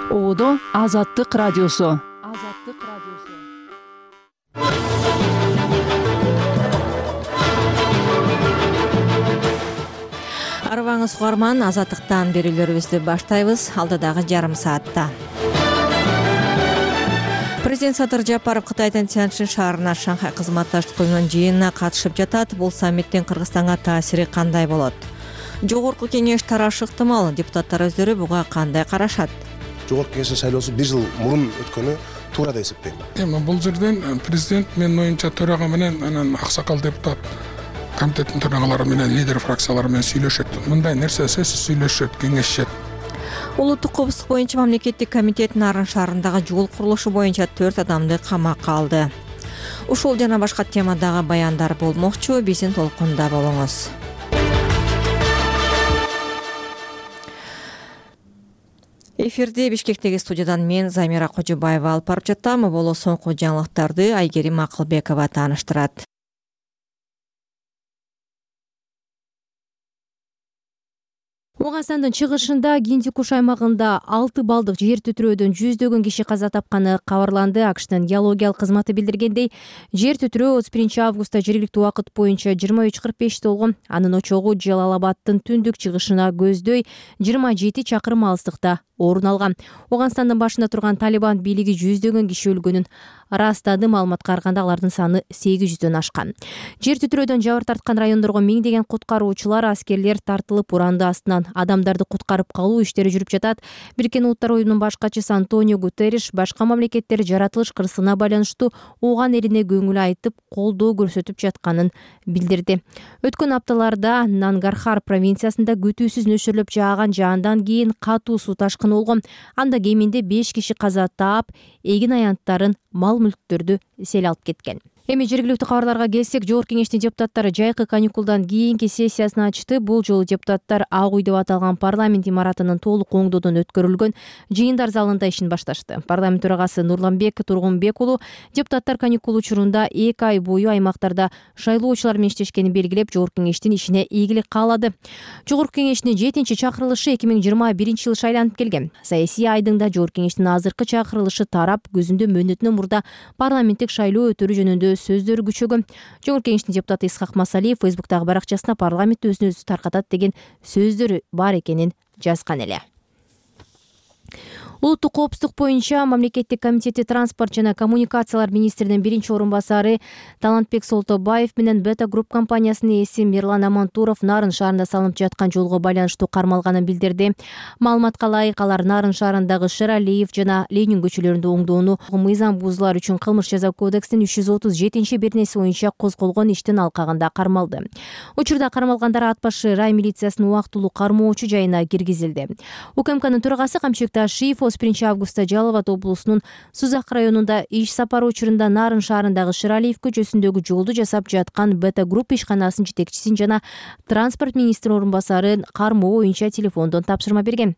Оодо Азаттык радиосу. Арыбаңыз угарман, Азаттыктан берүүлөрүбүздү баштайбыз. Алдыдагы жарым саатта Президент Садыр Жапаров Кытайдын Тяньшань шаарына Шанхай кызматташтык уюмунун жыйынына катышып жатат. Бул саммиттин Кыргызстанга таасири кандай болот? Жогорку кеңеш тарашы ыктымал. Депутаттар өздөрү буга кандай карашат? Жогорку кеңештин шайлоосу 1 жыл мурун өткөнү туура деп эсептейм. Эми бул жерден президент менин оюмча төрага менен анан аксакал депутат комитеттин төрагалары менен лидер фракциялары менен сүйлөшөт. Мындай нерсе сөзсүз сүйлөшөт, кеңешишет. Улуттук коопсуздук боюнча мамлекеттик комитет Нарын шаарындагы жол курулушу боюнча 4 адамды камакка алды. Ушул жана башка темадагы баяндар болмокчу. Биздин толкунда болуңуз. Эфирде Бишкектеги студиядан мен Замира Кожобаева алып барып жатам. Боло соңку жаңылыктарды Айгерим Акылбекова тааныштырат. Оганстандын чыгышында Гиндикуш аймагында 6 балдык жер титирөөдөн жүздөгөн киши каза тапканы кабарланды. АКШтын геологиялык кызматы билдиргендей, жер титирөө 31 августта жергиликтүү убакыт боюнча 23:45 болгон. Анын очогу Жалалабадтын түндүк чыгышына көздөй 27 чакырым алыстыкта орун алган. Оганстандын башында турган Талибан бийлиги жүздөгөн киши өлгөнүн ырастады. Маалыматка караганда алардын саны 800дөн ашкан. Жер титирөөдөн жабыр тарткан райондорго миңдеген куткаруучулар, аскерлер тартылып уранды астынан адамдарды куткарып калуу иштери жүрүп жатат. Бириккен Улуттар уюмунун баш катчысы Антонио Гутерриш башка мамлекеттер жаратылыш кырсыгына байланыштуу ооган элине көңүл айтып, колдоо көрсөтүп жатканын билдирди. Өткөн апталарда Нангархар провинциясында күтүүсүз нөшөрлөп жааган жаандан кийин катуу суу ташкыны болгон. Анда кеминде 5 киши каза таап, эгин аянттарын, мал-мүлктөрдү сел алып кеткен. Эми жергиликтүү кабарларга келсек, Жогорку кеңештин депутаттары жайкы каникулдан кийинки сессиясын ачты. Бул жолу депутаттар Ак үй деп аталган парламент имаратынын толук оңдоодон өткөрүлгөн жыйындар залында ишин башташты. Парламент төрагасы Нурланбек Тургунбек уулу депутаттар каникул учурунда 2 ай бою аймактарда шайлоочулар менен иштешкенин белгилеп, Жогорку кеңештин ишине ийгилик каалады. Жогорку кеңештин 7-чи чакырылышы 2021-жылы шайланып келген. Саясий айдыңда Жогорку кеңештин азыркы чакырылышы тарап, көзүндө мөөнөтүнөн мурда парламенттик шайлоо өтөрү жөнүндө сөздөр күчөгөн. Жогорку кеңештин депутаты Исхак Масалиев Фейсбуктагы баракчасына парламент өзүн өзү таркатат деген сөздөр бар экенин жазган эле. Улуттук коопсуздук боюнча мамлекеттик комитети транспорт жана коммуникациялар министринин биринчи орун басары Талантбек Солтобаев менен Beta Group компаниясынын ээси Мирлан Амантуров Нарын шаарында салынып жаткан жолго байланыштуу кармалганын билдирди. Маалыматка ылайык, алар Нарын шаарындагы Шералиев жана Ленин көчөлөрүндө оңдоону мыйзам бузуулар үчүн кылмыш жаза кодексинин 337-бернеси боюнча козголгон иштин алкагында кармалды. Учурда кармалгандар ат башы рай милициясынын убактылуу кармоочу жайына киргизилди. УКМКнын төрагасы Камчек Ташиев 1 августта Жалал Абад облусунун Сузак районунда иш сапары учурунда Нарын шаарындагы Шералиев көчөсүндөгү жолду жасап жаткан Beta Group ишканасынын жетекчисин жана транспорт министринин орун басарын кармоо боюнча телефондон тапшырма берген.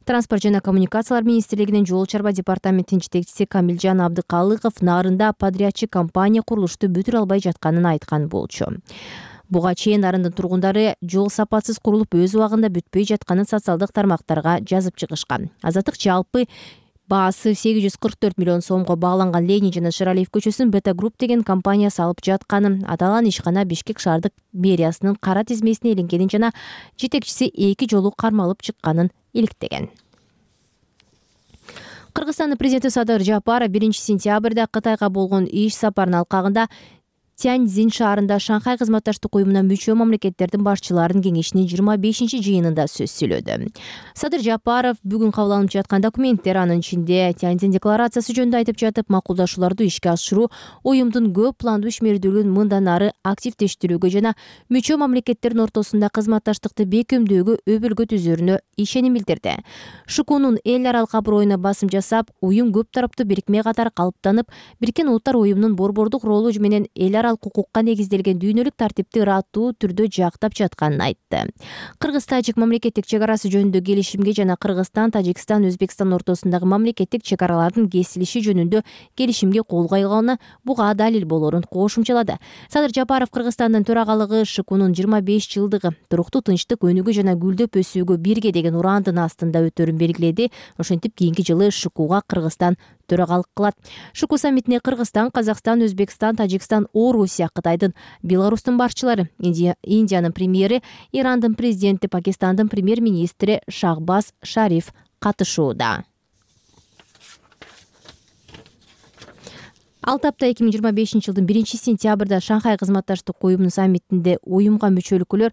Транспорт жана коммуникациялар министрлигинин жол чарба департаментинин жетекчиси Камилжан Абдыкалыков Нарында подрядчы компания курулушту бүтүрө албай жатканын айткан болчу. Буга чейин Нарындын тургундары жол сапатсыз курулуп, өз убагында бүтпөй жатканын социалдык тармактарга жазып чыгышкан. Азаттык жалпы баасы 844 миллион сомго бааланган Ленин жана Шералиев көчөсүн Beta Group деген компания салып жатканын, аталган ишкана Бишкек шаардык мэриясынын кара тизмесине иленгенин жана жетекчиси 2 жолу кармалып чыкканын иликтеген. Кыргызстандын президенти Садыр Жапаров 1 сентябрда Кытайга болгон иш сапарынын алкагында Тяньцзинь шаарында Шанхай кызматташтык уюмуна мүчө мамлекеттердин башчыларынын кеңешинин 25-чи жыйынында сөз сүйлөдү. Садыр Жапаров бүгүн кабыл алынып жаткан документтер, анын ичинде Тяньцзинь декларациясы жөнүндө айтып жатып, макулдашууларды ишке ашыруу уюмдун көп пландуу ишмердүүлүгүн мындан ары активдештирүүгө жана мүчө мамлекеттердин ортосунда кызматташтыкты бекемдөөгө өбөлгө түзөрүнө ишеним билдирди. ШКУнун эл аралык аброюна басым жасап, уюм көп тараптуу бирикме катары калыптанып, Бириккен Улуттар уюмунун борбордук ролу менен эл аралык укукка негизделген дүйнөлүк тартипти ыраттуу түрдө жактап жатканын айтты. Кыргыз-тажик мамлекеттик чек арасы жөнүндө келишимге жана Кыргызстан, Тажикстан, Өзбекстан ортосундагы мамлекеттик чек аралардын кесилиши жөнүндө келишимге кол койгону буга далил болорун кошумчалады. Садыр Жапаров Кыргызстандын төрагалыгы ШКунун 25 жылдыгы туруктуу тынчтык, өнүгүү жана гүлдөп өсүүгө бирге деген урандын астында өтөрүн белгиледи. Ошентип кийинки жылы ШКуга Кыргызстан төрагалык кылат. ШК саммитине Кыргызстан, Казакстан, Өзбекстан, Тажикстан, Орусия, Кытайдын, Беларустун башчылары, Индиянын премьери, Ирандын президенти, Пакистандын премьер-министри Шахбаз Шариф катышууда. Алтапта 2025 жылдын 1-сентябрда Шанхай кызматташтык уюмунун саммитинде уюмга мүчө өлкөлөр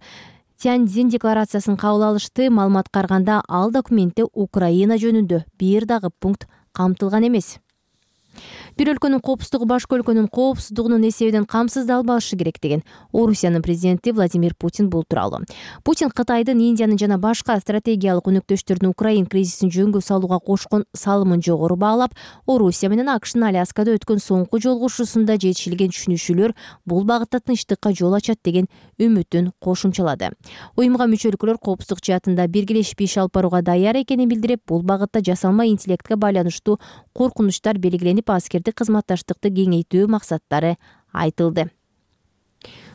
Тяньцзин декларациясын кабыл алышты. Маалыматка караганда, ал документте Украина жөнүндө бир дагы пункт камтылган эмес. Бир өлкөнүн коопсуздугу башка өлкөнүн коопсуздугунун эсебинен камсыздалбашы керек деген Орусиянын президенти Владимир Путин бул тууралуу. Путин Кытайдын, Индиянын жана башка стратегиялык өнөктөштөрдүн Украин кризисин жөнгө салууга кошкон салымын жогору баалап, Орусия менен АКШнын Аляскада өткөн соңку жолугушуусунда жетишилген түшүнүшүүлөр бул багытта тынчтыкка жол ачат деген үмүтүн кошумчалады. Уюмга мүчө өлкөлөр коопсуздук жаатында биргелешип иш алып барууга даяр экенин билдирип, бул багытта жасалма интеллектке байланыштуу коркунучтар белгиленип, аскердик кызматташтыкты кеңейтүү максаттары айтылды.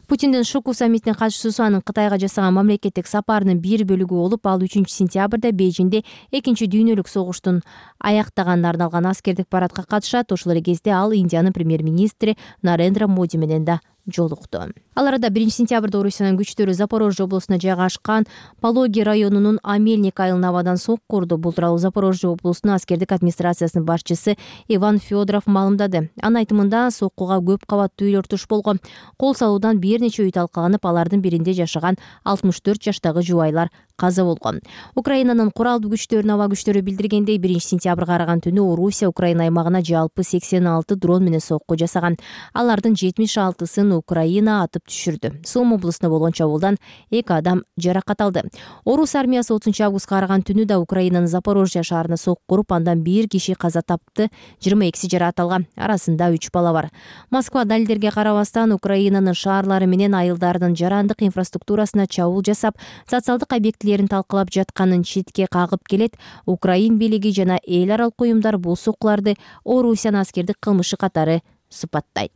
Путиндин ШК саммитине катышуусу анын Кытайга жасаган мамлекеттик сапарынын бир бөлүгү болуп, ал 3-сентябрда Бейжиңде экинчи дүйнөлүк согуштун аяктаганына арналган аскердик парадка катышат. Ошол эле кезде ал Индиянын премьер-министри Нарендра Моди менен да жолукту. Ал арада 1-сентябрда Орусиянын күчтөрү Запорожье облусуна жайгашкан Пологи районунун Амельник айылын абадан сокку урду. Бул тууралуу Запорожье облусунун аскердик администрациясынын башчысы Иван Федоров маалымдады. Анын айтымында, соккуга көп кабаттуу үйлөр туш болгон. Кол салуудан бир нече үй талкаланып, алардын биринде жашаган 64 жаштагы жубайлар каза болгон. Украинанын куралдуу күчтөрүнүн аба күчтөрү билдиргендей, 1-сентябрга караган түнү Орусия Украина аймагына жалпы 86 дрон менен сокку жасаган. Алардын 76-сын Украина атып түшүрдү. Сом облусунда болгон чабуулдан 2 адам жаракат алды. Орус армиясы 30 августка караган түнү да Украинанын Запорожье шаарына сокку уруп, андан 1 киши каза тапты, 22 жаракат алган. Арасында 3 бала бар. Москва далилдерге карабастан Украинанын шаарлары менен айылдарынын жарандык инфраструктурасына чабуул жасап, социалдык объектилерин талкалап жатканын четке кагып келет. Украин бийлиги жана эл аралык уюмдар бул соккуларды Орусиянын аскердик кылмышы катары сыпаттайт.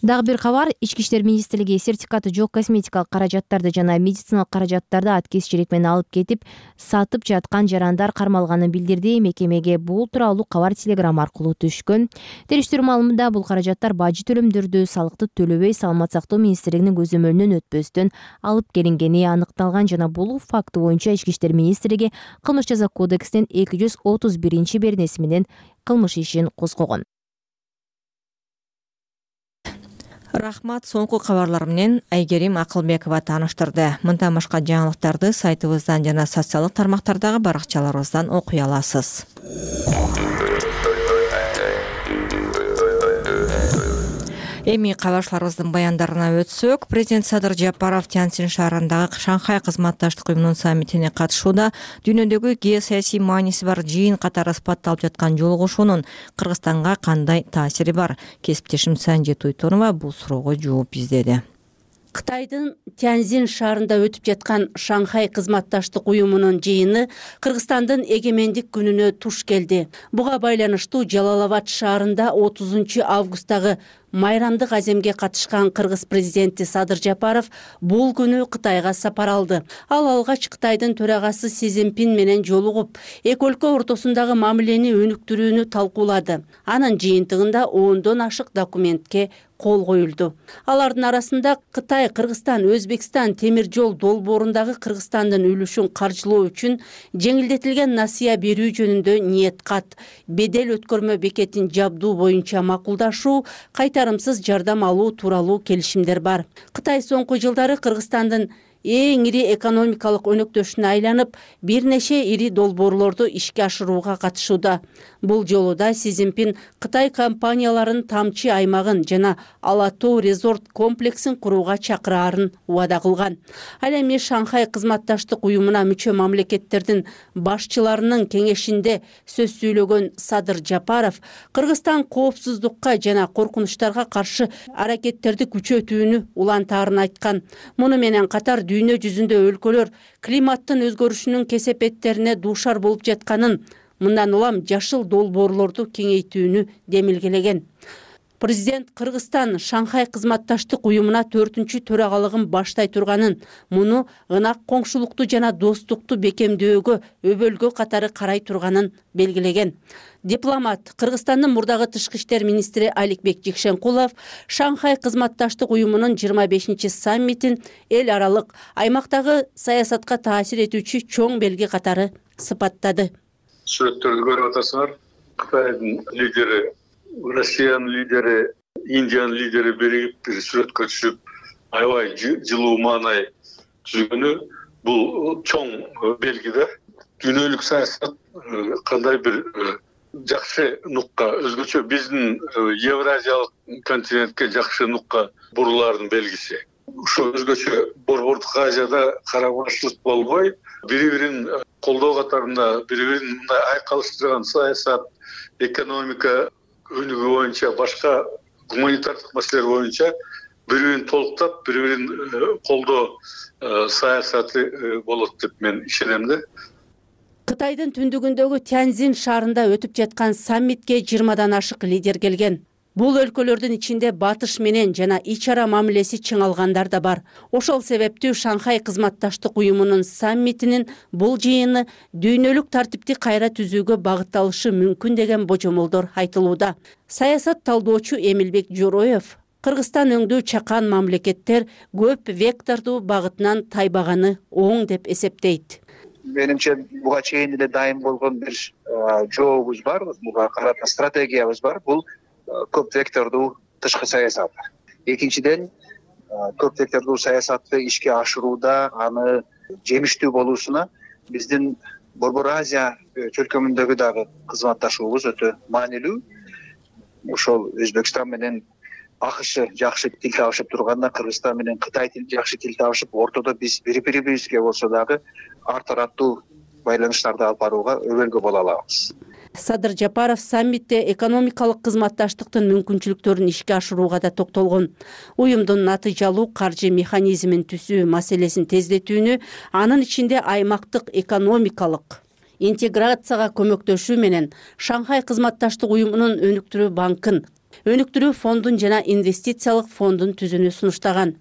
Дагы бир кабар, Ички иштер министрлиги сертификаты жок косметикалык каражаттарды жана медициналык каражаттарды аткезчилик менен алып кетип, сатып жаткан жарандар кармалганын билдирди. Мекемеге бул тууралуу кабар телеграмма аркылуу түшкөн. Териштирүү маалымында бул каражаттар бажы төлөмдөрдү салыкты төлөбөй Саламат сактоо министрлигинин көзөмөлүнөн өтпөстөн алып келингени аныкталган жана бул факты боюнча Ички иштер министрлиги Кылмыш жаза кодексинин 231-беренеси менен кылмыш ишин козгогон. Рахмат, соңку кабарлар менен Айгерим Акылбекова тааныштырды. Мындан башка жаңылыктарды сайтыбыздан жана социалдык тармактардагы баракчаларыбыздан окуй аласыз. Эми кабарчыларыбыздын баяндарына өтсөк, президент Садыр Жапаров Тяньцзин шаарындагы Шанхай кызматташтык уюмунун саммитине катышууда дүйнөдөгү геосаясий мааниси бар жыйын катары сыпатталып жаткан жолугушуунун Кыргызстанга кандай таасири бар? Кесиптешим Санжет Уйтонова бул суроого жооп издеди. Кытайдын Тяньцзин шаарында өтүп жаткан Шанхай кызматташтык уюмунун жыйыны Кыргызстандын эгемендик күнүнө туш келди. Буга байланыштуу Жалал-Абад шаарында 30 августтагы майрамдык аземге катышкан кыргыз президенти Садыр Жапаров бул күнү Кытайга сапар алды. Ал алгач Кытайдын төрагасы Си Цзиньпин менен жолугуп, эки өлкө ортосундагы мамилени өнүктүрүүнү талкуулады. Анын жыйынтыгында 10дон ашык документке кол коюлду. Алардын арасында Кытай, Кыргызстан, Өзбекстан темир жол долбоорундагы Кыргызстандын үлүшүн каржылоо үчүн жеңилдетилген насыя берүү жөнүндө ниет кат, бедел өткөрмө бекетин жабдуу боюнча макулдашуу, кайтарымсыз жардам алуу тууралуу келишимдер бар. Кытай соңку жылдары Кыргызстандын эң ири экономикалык өнөктөшүнө айланып, бир нече ири долбоорлорду ишке ашырууга катышууда. Бул жолу да Си Цзиньпин Кытай компанияларын тамчы аймагын жана Ала Тоо резорт комплексин курууга чакыраарын убада кылган. Ал эми Шанхай кызматташтык уюмуна мүчө мамлекеттердин башчыларынын кеңешинде сөз сүйлөгөн Садыр Жапаров Кыргызстан коопсуздукка жана коркунучтарга каршы аракеттерди күчөтүүнү улантаарын айткан. Муну менен катар дүйнө жүзүндө өлкөлөр климаттын өзгөрүшүнүн кесепеттерине дуушар болуп жатканын, мындан улам жашыл долбоорлорду кеңейтүүнү демилгелеген. Президент Кыргызстан Шанхай кызматташтык уюмуна 4-чү төрагалыгын баштай турганын, муну ынак коңшулукту жана достукту бекемдөөгө өбөлгө катары карай турганын белгилеген. Дипломат Кыргызстандын мурдагы тышкы иштер министри Аликбек Жекшенкулов Шанхай кызматташтык уюмунун 25-чи саммитин эл аралык аймактагы саясатка таасир этүүчү чоң белги катары сыпаттады. Сүрөттөрдү көрүп атасыңар. Кытайдын лидери, Россиянын лидери, Индиянын лидери биригип бир сүрөткө түшүп, аябай жылуу маанай түзгөнү бул чоң белги да. Дүйнөлүк саясат кандай бир жакшы нукка, өзгөчө биздин Евразиялык континентке жакшы нукка бурулаардын белгиси. Ошо өзгөчө Борбордук Азияда карабаштылык болбой, бири-бирин колдоо катарында бири-бирин мындай айкалыштырган саясат, экономика өнүгүү боюнча, башка гуманитардык маселелер боюнча бири-бирин толуктап, бири-бирин колдоо саясаты болот деп мен ишенем да. Кытайдын түндүгүндөгү Тяньзин шаарында өтүп жаткан саммитке 20дан ашык лидер келген. Бул өлкөлөрдүн ичинде батыш менен жана ич ара мамилеси чыңалгандар да бар. Ошол себептүү Шанхай кызматташтык уюмунун саммитинин бул жыйыны дүйнөлүк тартипти кайра түзүүгө багытталышы мүмкүн деген божомолдор айтылууда. Саясат талдоочу Эмилбек Жороев Кыргызстан өңдүү чакан мамлекеттер көп вектордуу багытынан тайбаганы оң деп эсептейт. Менимче буга чейин эле дайым болгон бир жообуз бар, буга карата стратегиябыз бар. Бул көп вектордуу тышкы саясат. Экинчиден, көп вектордуу саясатты ишке ашырууда аны жемиштүү болуусуна биздин Борбор Азия чөлкөмүндөгү дагы кызматташуубуз өтө маанилүү. Ошол Өзбекстан менен АКШ жакшы тил табышып турганда, Кыргызстан менен Кытай жакшы тил табышып, ортодо биз бири-бирибизге болсо дагы ар тараптуу байланыштарды алып барууга өбөлгө боло алабыз. Садыр Жапаров саммитте экономикалык кызматташтыктын мүмкүнчүлүктөрүн ишке ашырууга да токтолгон. Уюмдун натыйжалуу каржы механизмин түзүү маселесин тездетүүнү, анын ичинде аймактык экономикалык интеграцияга көмөктөшүү менен Шанхай кызматташтык уюмунун өнүктүрүү банкын, өнүктүрүү фондун жана инвестициялык фондун түзүүнү сунуштаган.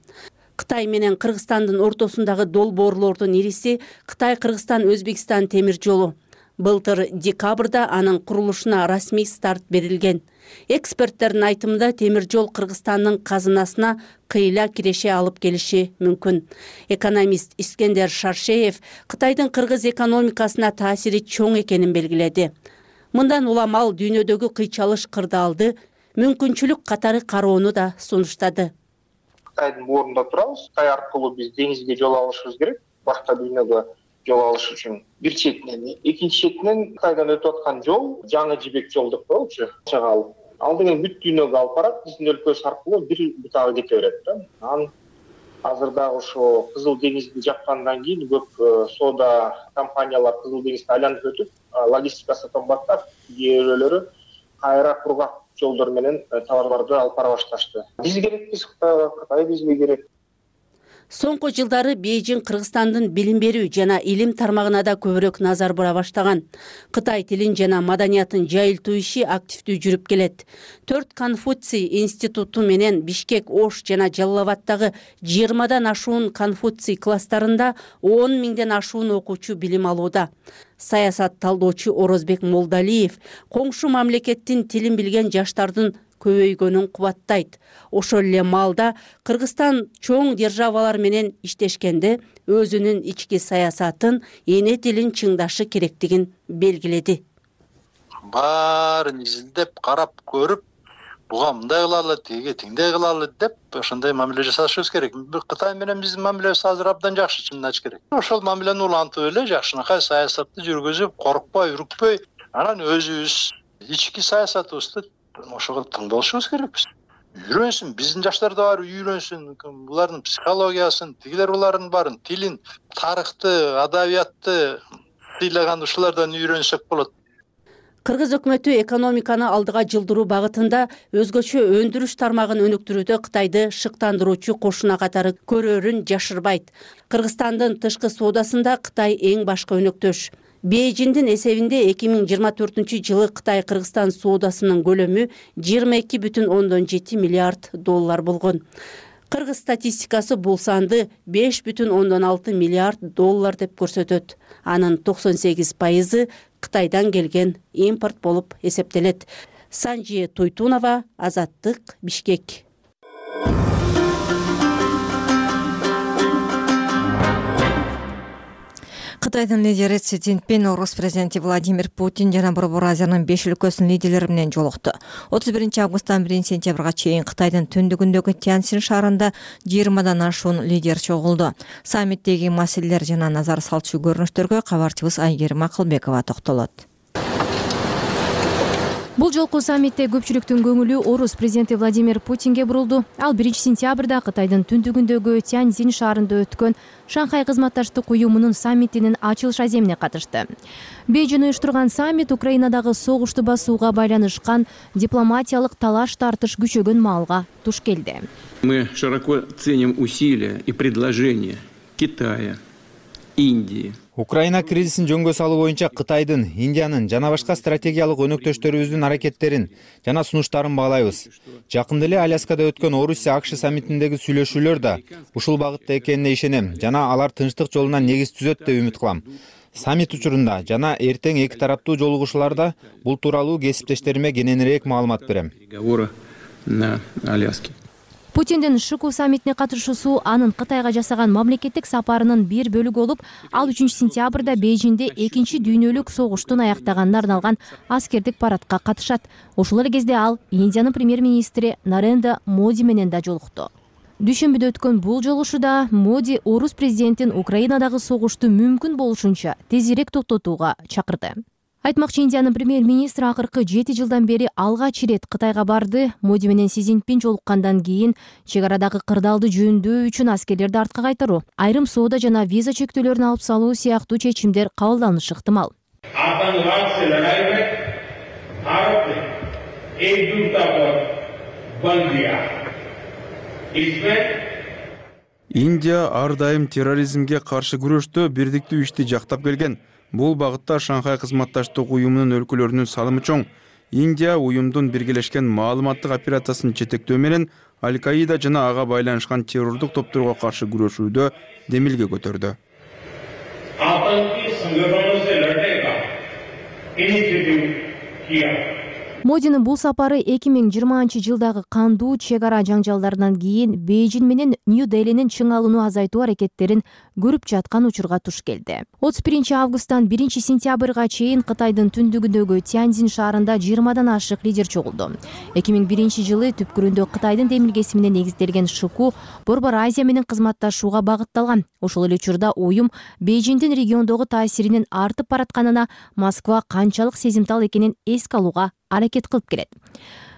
Кытай менен Кыргызстандын ортосундагы долбоорлордун ириси Кытай-Кыргызстан-Өзбекстан темир жолу. Былтыр декабрда анын курулушуна расмий старт берилген. Эксперттердин айтымында темир жол Кыргызстандын казынасына кыйла киреше алып келиши мүмкүн. Экономист Искендер Шаршеев Кытайдын кыргыз экономикасына таасири чоң экенин белгиледи. Мындан улам ал дүйнөдөгү кыйчалыш кырдаалды мүмкүнчүлүк катары кароону да сунуштады. Кытайдын боорунда турабыз. Кытай аркылуу биз деңизге жол алышыбыз керек. Башка дүйнөгө жол алыш үчүн бир четинен, экинчи четинен Кытайдан өтүп аткан жол жаңы жибек жол деп коелучу. Ал деген бүт дүйнөгө алып барат, биздин өлкөбүз аркылуу бир бутагы кете берет да. Анан азырда ошо Кызыл деңизди жапкандан кийин көп соода компаниялар Кызыл деңизди айланып өтүп, логистикасы кымбаттап, кээ бирөөлөрү кайра кургак жолдор менен товарларды алып бара башташты. Биз керекпиз Кытайга, Кытай бизге керек. Соңку жылдары Бейжиң Кыргызстандын билим берүү жана илим тармагына да көбүрөөк назар бура баштаган. Кытай тилин жана маданиятын жайылтуу иши активдүү жүрүп келет. 4 Конфуций институту менен Бишкек, Ош жана Жалал-Абадтагы 20дан ашуун Конфуций класстарында 10 миңден ашуун окуучу билим алууда. Саясат талдоочу Орозбек Молдалиев коңшу мамлекеттин тилин билген жаштардын көбөйгөнүн кубаттайт. Ошол эле маалда Кыргызстан чоң державалар менен иштешкенде өзүнүн ички саясатын, эне тилин чыңдашы керектигин белгиледи. Баарын изилдеп, карап көрүп, буга мындай кылалы, тиги тиңдей кылалы деп ошондой мамиле жасашыбыз керек. Кытай менен биздин мамилебиз азыр абдан жакшы, чынын айтыш керек. Ошол мамилени улантып эле жакшынакай саясатты жүргүзүп, коркпой, үрүкпөй, анан өзүбүз ички саясатыбызды ошого тыңдалышыбыз керекпиз. Үйрөнсүн, биздин жаштар да бар үйрөнсүн, булардын психологиясын, тигилер булардын баарын, тилин, тарыхты, адабиятты сыйлаган ушулардан үйрөнсөк болот. Кыргыз өкмөтү экономиканы алдыга жылдыруу багытында өзгөчө өндүрүш тармагын өнүктүрүүдө Кытайды шыктандыруучу кошуна катары көрөрүн жашырбайт. Кыргызстандын тышкы соодасында Кытай эң башкы өнөктөш. Бейжиңдин эсебинде 2024-жылы Кытай-Кыргызстан соодасынын көлөмү 22,7 миллиард доллар болгон. Кыргыз статистикасы бул санды 5,6 миллиард доллар деп көрсөтөт. Анын 98% Кытайдан келген импорт болуп эсептелет. Санжи Туйтунова, Азаттык, Бишкек. Кытайдын лидери Си Цзиньпин Орус президенти Владимир Путин жана Борбор Азиянын 5 өлкөсүнүн лидерлери менен жолукту. 31-августтан 1-сентябрга чейин Кытайдын түндүгүндөгү Тяньцзин шаарында 20-дан ашуун лидер чогулду. Саммиттеги маселелер жана назар салчу көрүнүштөргө кабарчыбыз Айгерим Акылбекова токтолот. Бул жолку саммитте көпчүлүктүн көңүлү Орус президенти Владимир Путинге бурулду. Ал 1-сентябрда Кытайдын түндүгүндөгү Тяньцзин шаарында өткөн Шанхай кызматташтык уюмунун саммитинин ачылыш аземине катышты. Бейжиң уюштурган саммит Украинадагы согушту басууга байланышкан дипломатиялык талаш-тартыш күчөгөн маалга туш келди. Мы широко ценим усилия и предложения Китая, Индии. Украина кризисин жөнгө салуу боюнча Кытайдын, Индиянын жана башка стратегиялык өнөктөштөрүбүздүн аракеттерин жана сунуштарын баалайбыз. Жакында эле Аляскада өткөн Орусия-АКШ саммитиндеги сүйлөшүүлөр да ушул багытта экенине ишенем жана алар тынчтык жолуна негиз түзөт деп үмүт кылам. Саммит учурунда жана эртең эки тараптуу жолугушууларда бул тууралуу кесиптештериме кененирээк маалымат берем. Путиндин ШКУ саммитине катышуусу анын Кытайга жасаган мамлекеттик сапарынын бир бөлүгү болуп, ал 3-сентябрда Бейжиңде 2 дүйнөлүк согуштун аяктаганына арналган аскердик парадка катышат. Ошол эле кезде ал Индиянын премьер-министри Нарендра Моди менен да жолукту. Дүйшөмбүдө өткөн бул жолугушууда Моди Орус президентин Украинадагы согушту мүмкүн болушунча тезирээк токтотууга чакырды. Айтмакчы, Индиянын премьер-министри акыркы 7 жылдан бери алгач ирет Кытайга барды. Моди менен Си Цзиньпин жолуккандан кийин чек арадагы кырдаалды жөөндөө үчүн аскерлерди артка кайтаруу, айрым соода жана виза чектөөлөрүн алып салуу сыяктуу чечимдер кабылданышы ыктымал. Индия ар дайым терроризмге каршы күрөштө бирдиктүү ишти жактап келген. Бул багытта Шанхай кызматташтык уюмунун өлкөлөрүнүн салымы чоң. Индия уюмдун биргелешкен маалыматтык операциясын жетектөө менен Аль-Каида жана ага байланышкан террордук топторго каршы күрөшүүдө демилге көтөрдү. Модинин бул сапары 2020-жылдагы кандуу чек ара жаңжалдарынан кийин Бейжиң менен Нью-Делинин чың алууну азайтуу аракеттерин көрүп жаткан учурга туш келди. 31-августтан 1-сентябрга чейин Кытайдын түндүгүндөгү Тяньцзин шаарында 20-дан ашык лидер чогулду. 2001-жылы түпкүрүндө Кытайдын демилгеси менен негизделген ШКУ Борбор Азия менен кызматташууга багытталган. Ошол эле учурда уюм Бейжиңдин региондогу таасиринин артып баратканына Москва канчалык сезимтал экенин эске алууга аракет кылып келет.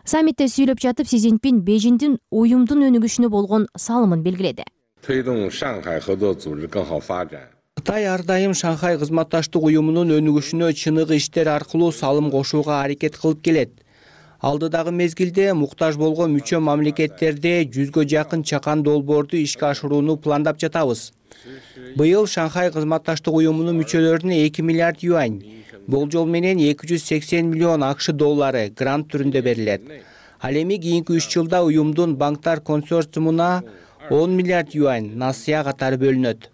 Саммитте сүйлөп жатып Си Цзиньпин Бейжиңдин уюмдун өнүгүшүнө болгон салымын белгиледи. Кытай ар дайым Шанхай кызматташтык уюмунун өнүгүшүнө чыныгы иштер аркылуу салым кошууга аракет кылып келет. Алдыдагы мезгилде муктаж болгон мүчө мамлекеттерде 100гө жакын чакан долбоорду ишке ашырууну пландап жатабыз. Быйыл Шанхай кызматташтык уюмунун мүчөлөрүнө 2 миллиард юань, болжол менен 280 миллион АКШ доллары грант түрүндө берилет. Ал эми кийинки 3 жылда уюмдун банктар консорциумуна 10 миллиард юань насыя катары бөлүнөт.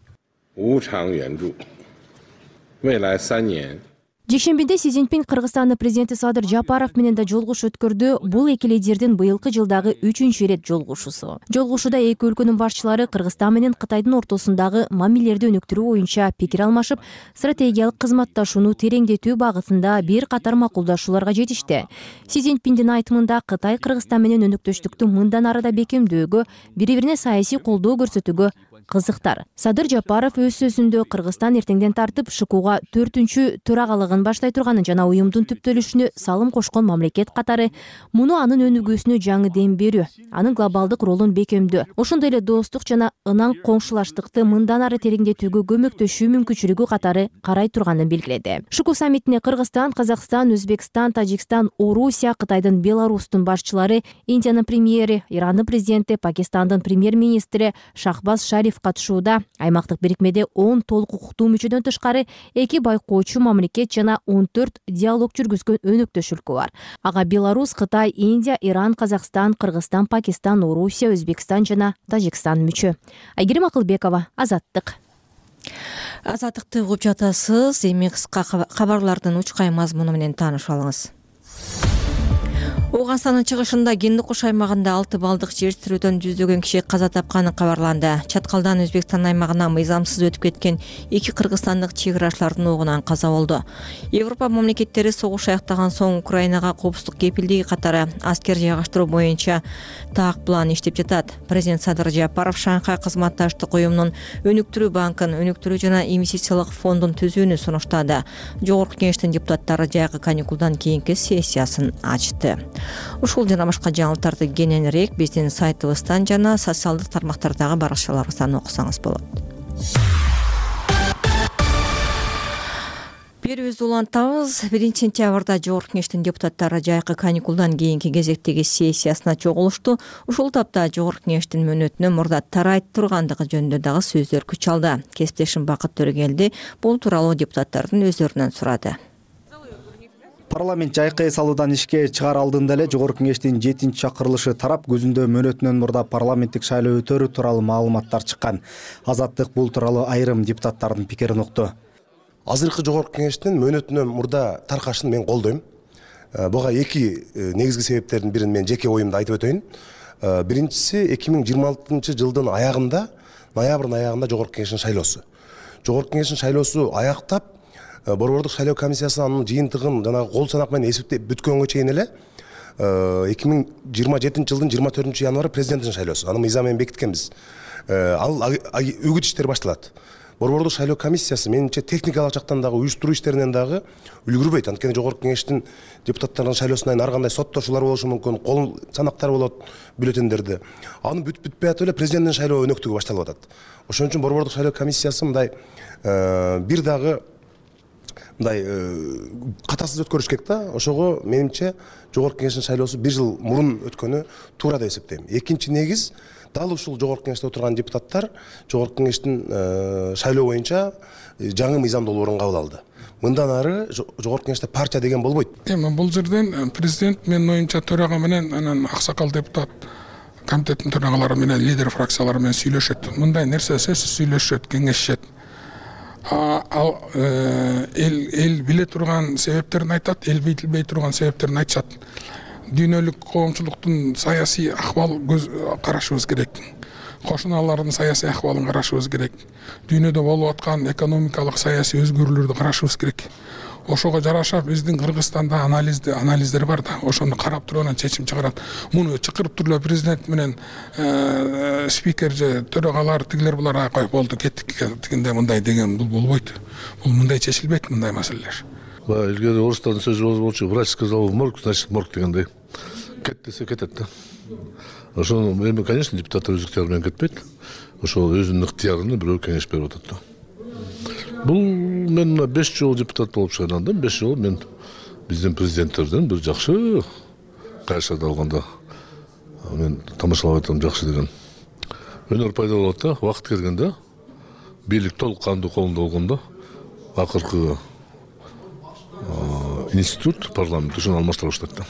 Жекшембиде Си Цзиньпин Кыргызстандын президенти Садыр Жапаров менен да жолугушуу өткөрдү. Бул эки лидердин быйылкы жылдагы 3-үчү ирет жолугушуусу. Жолугушууда эки өлкөнүн башчылары Кыргызстан менен Кытайдын ортосундагы мамилелерди өнүктүрүү боюнча пикир алмашып, стратегиялык кызматташууну тереңдетүү багытында бир катар макулдашууларга жетишти. Си Цзиньпиндин айтымында Кытай Кыргызстан менен өнөктөштүктү мындан ары да бекемдөөгө, бири-бирине саясий колдоо көрсөтүүгө кызыктар. Садыр Жапаров өз сөзүндө Кыргызстан эртеңден тартып ШКУга 4-түнчү төрагалыгын баштай турганын жана уюмдун түптөлүшүнө салым кошкон мамлекет катары муну анын өнүгүүсүнө жаңы дем берүү, анын глобалдык ролун бекемдөө, ошондой эле достук жана ынан коңшулаштыкты мындан ары тереңдетүүгө көмөктөшүү мүмкүнчүлүгү катары карай турганын белгиледи. ШКУ саммитине Кыргызстан, Казакстан, Өзбекстан, Тажикстан, Орусия, Кытайдын, Беларустун башчылары, Индиянын премьери, Ирандын президенти, Пакистандын премьер-министри Шахбаз Шариф катышууда. Аймактык бирикмеде 10 толук укуктуу мүчөдөн тышкары 2 байкоочу мамлекет жана 14 диалог жүргүзгөн өнөктөш өлкө бар. Ага Беларусь, Кытай, Индия, Иран, Казакстан, Кыргызстан, Пакистан, Орусия, Өзбекстан жана Тажикстан мүчө. Айгерим Акылбекова, Азаттык. Азаттыкты угуп жатасыз. Эми кыска кабарлардын учкай мазмуну менен таанышып алыңыз. Ооганстандын чыгышында Гендикуш аймагында 6 балдык жер тирүүдөн жүздөгөн киши каза тапканы кабарланды. Чаткалдан Өзбекстан аймагына мыйзамсыз өтүп кеткен 2 кыргызстандык чек ырашчылардын огунан каза болду. Европа мамлекеттери согуш аяктаган соң Украинага коопсуздук кепилдиги катары аскер жайгаштыруу боюнча так план иштеп жатат. Президент Садыр Жапаров Шанхай кызматташтык уюмунун өнүктүрүү банкын, өнүктүрүү жана инвестициялык фондун түзүүнү сунуштады. Жогорку кеңештин депутаттары жайкы каникулдан кийинки сессиясын ачты. Ушул жана башка жаңылыктарды кененирээк биздин сайтыбыздан жана социалдык тармактардагы баракчаларыбыздан окусаңыз болот. Берүүбүздү улантабыз. 1-сентябрда Жогорку кеңештин депутаттары жайкы каникулдан кийинки кезектеги сессиясына чогулушту. Ушул тапта Жогорку кеңештин мөөнөтүнө мурда тарайт тургандыгы жөнүндө дагы сөздөр күч алды. Кесиптешим Бакыт Төрөгелди бул тууралуу депутаттардын өздөрүнөн сурады. Парламент жайкы эс алуудан ишке чыгаар алдында эле Жогорку кеңештин 7-чакырылышы тарап көзүндө мөөнөтүнөн мурда парламенттик шайлоо өтөрү тууралуу маалыматтар чыккан. Азаттык бул тууралуу айрым депутаттардын пикирин укту. Азыркы Жогорку кеңештин мөөнөтүнөн мурда таркашын мен колдойм. Буга эки негизги себептердин бирин мен жеке оюмду айтып өтөйүн. Биринчиси 2026-жылдын аягында, ноябрдын аягында Жогорку кеңештин шайлоосу. Жогорку кеңештин шайлоосу аяктап, Борбордук шайлоо комиссиясы анын жыйынтыгын жана кол санак менен эсептеп бүткөнгө чейин эле 2027-жылдын 24-январь президенттин шайлоосу. Аны мыйзам менен бекиткенбиз. Ал үгүт иштери башталат. Борбордук шайлоо комиссиясы менимче техникалык жактан дагы уюштуруу иштеринен дагы үлгүрбөйт. Анткени Жогорку кеңештин депутаттарынын шайлоосунан ар кандай соттошуулар болушу мүмкүн, кол санактар болот бюллетендерде. Аны бүтпөй атып эле президенттин шайлоо өнөктүгү башталып атат. Ошон үчүн Борбордук шайлоо комиссиясы мындай бир дагы катасыз өткөрүш керек да. Ошого менимче Жогорку кеңештин шайлоосу 1 жыл мурун өткөнү туура деп эсептейм. Экинчи негиз, дал ушул Жогорку кеңеште отурган депутаттар Жогорку кеңештин шайлоо боюнча жаңы мыйзам долбоорун кабыл алды. Мындан ары Жогорку кеңеште партия деген болбойт. Эми бул жерден президент менин оюмча төрага менен анан аксакал депутат комитеттин төрагалары менен лидер фракциялары менен сүйлөшөт. Мындай нерсе сөзсүз сүйлөшөт, кеңешет. Ал эл биле турган себептерин айтат, эл билбей турган себептерин айтышат. Дүйнөлүк коомчулуктун саясий акыбал карашыбыз керек. Кошуналардын саясий акыбалын карашыбыз керек. Дүйнөдө болуп аткан экономикалык саясий өзгөрүүлөрдү карашыбыз керек. Ошого жараша биздин Кыргызстанда анализдер бар да, ошону карап туруп анан чечим чыгарат. Муну чакырып туруп президент менен спикер же төрагалар тигилер булар кой болду кеттик дегенде мындай деген бул болбойт. Бул мындай чечилбейт мындай маселелер. Илгери орустардын сөзү болчу, врач сказал в морг, значит морг дегендей. Кет десе кетет да. Ошону эми, конечно, депутаттар өз ыктыяры менен кетпейт. Ошол өзүнүн ыктыярын бирөө кеңеш берип атат да. Бул мен 5 жолу депутат болуп шайландым. 5 жолу мен биздин президенттерден бир жакшы кайшарды алганда мен тамашалап атам, жакшы деген. Өнөр пайда болот да, убакыт келгенде бийлик толук кандуу колунда болгондо акыркы институт, парламент ушуну алмаштыра баштайт да.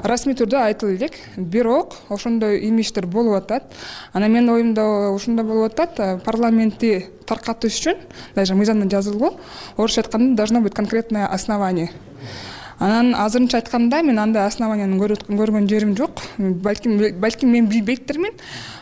Расмий түрдө айтылып элек, бирок ошондой имиштер болуп атат. Анан менин оюмда ошондой болуп атат, парламентти таркатыш үчүн даже мыйзамда жазылган, орусча айтканда должно быть конкретное основание. Анан азырынча айтканда мен андай основанияны көргөн жерим жок. Балким мен билбейттирмин.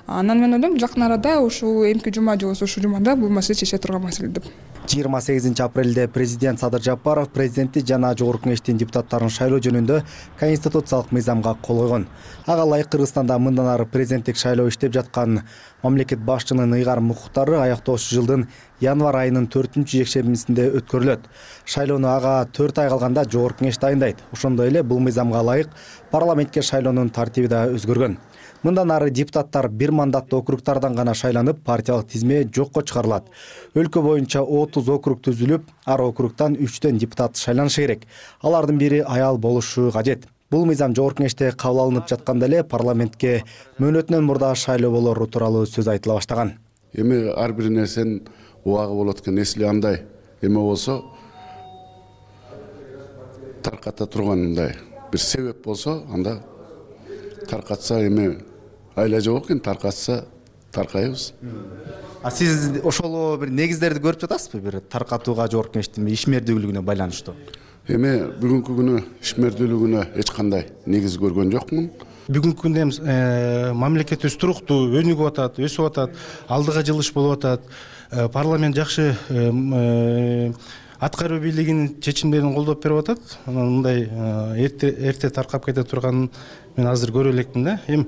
Анан мен ойлойм жакын арада ушул эмки жума же болбосо ушул жумада бул маселе чечиле турган маселе деп. 28 апрелде президент Садыр Жапаров президенtti жана Жогорку Кеңештин депутаттарын шайлоо жөнүндө конституциялык мыйзамга кол койгон. Ага ылайык Кыргызстанда мындан ары президенттик шайлоо иштеп жаткан мамлекет башчынын ыйгарым укуктары аяктоочу жылдын январь айынын 4-жекшембисинде өткөрүлөт. Шайлоону ага 4 ай калганда Жогорку Кеңеш дайындайт. Ошондой эле бул мыйзамга ылайык парламентке шайлоонун тартиби да өзгөргөн. Мындан ары депутаттар бир мандаттуу округтардан гана шайланып, партиялык тизме жокко чыгарылат. Өлкө боюнча 30 округ түзүлүп, ар округтан 3төн депутат шайланышы керек. Алардын бири аял болушу кажет. Бул мыйзам Жогорку Кеңеште кабыл алынып жатканда эле парламентке мөөнөтүнөн мурда шайлоо болору тууралуу сөз айтыла баштаган. Эми ар бир нерсенин убагы болот экен. Эсли андай эме болсо тарката тургандай бир себеп болсо, анда таркатса эми айла жок экен, таркатса таркайбыз. Сиз ошол бир негиздерди көрүп жатасызбы, бир таркатууга Жогорку Кеңештин ишмердүүлүгүнө байланыштуу? Эми бүгүнкү күнү ишмердүүлүгүнө эч кандай негиз көргөн жокмун. Бүгүнкү күндө мамлекетибиз туруктуу өнүгүп атат, өсүп атат, алдыга жылыш болуп атат. Парламент жакшы аткаруу бийлигинин чечимдерин колдоп берип атат. Анан мындай эрте таркап кете турганын мен азыр көрө элекмин да. Эми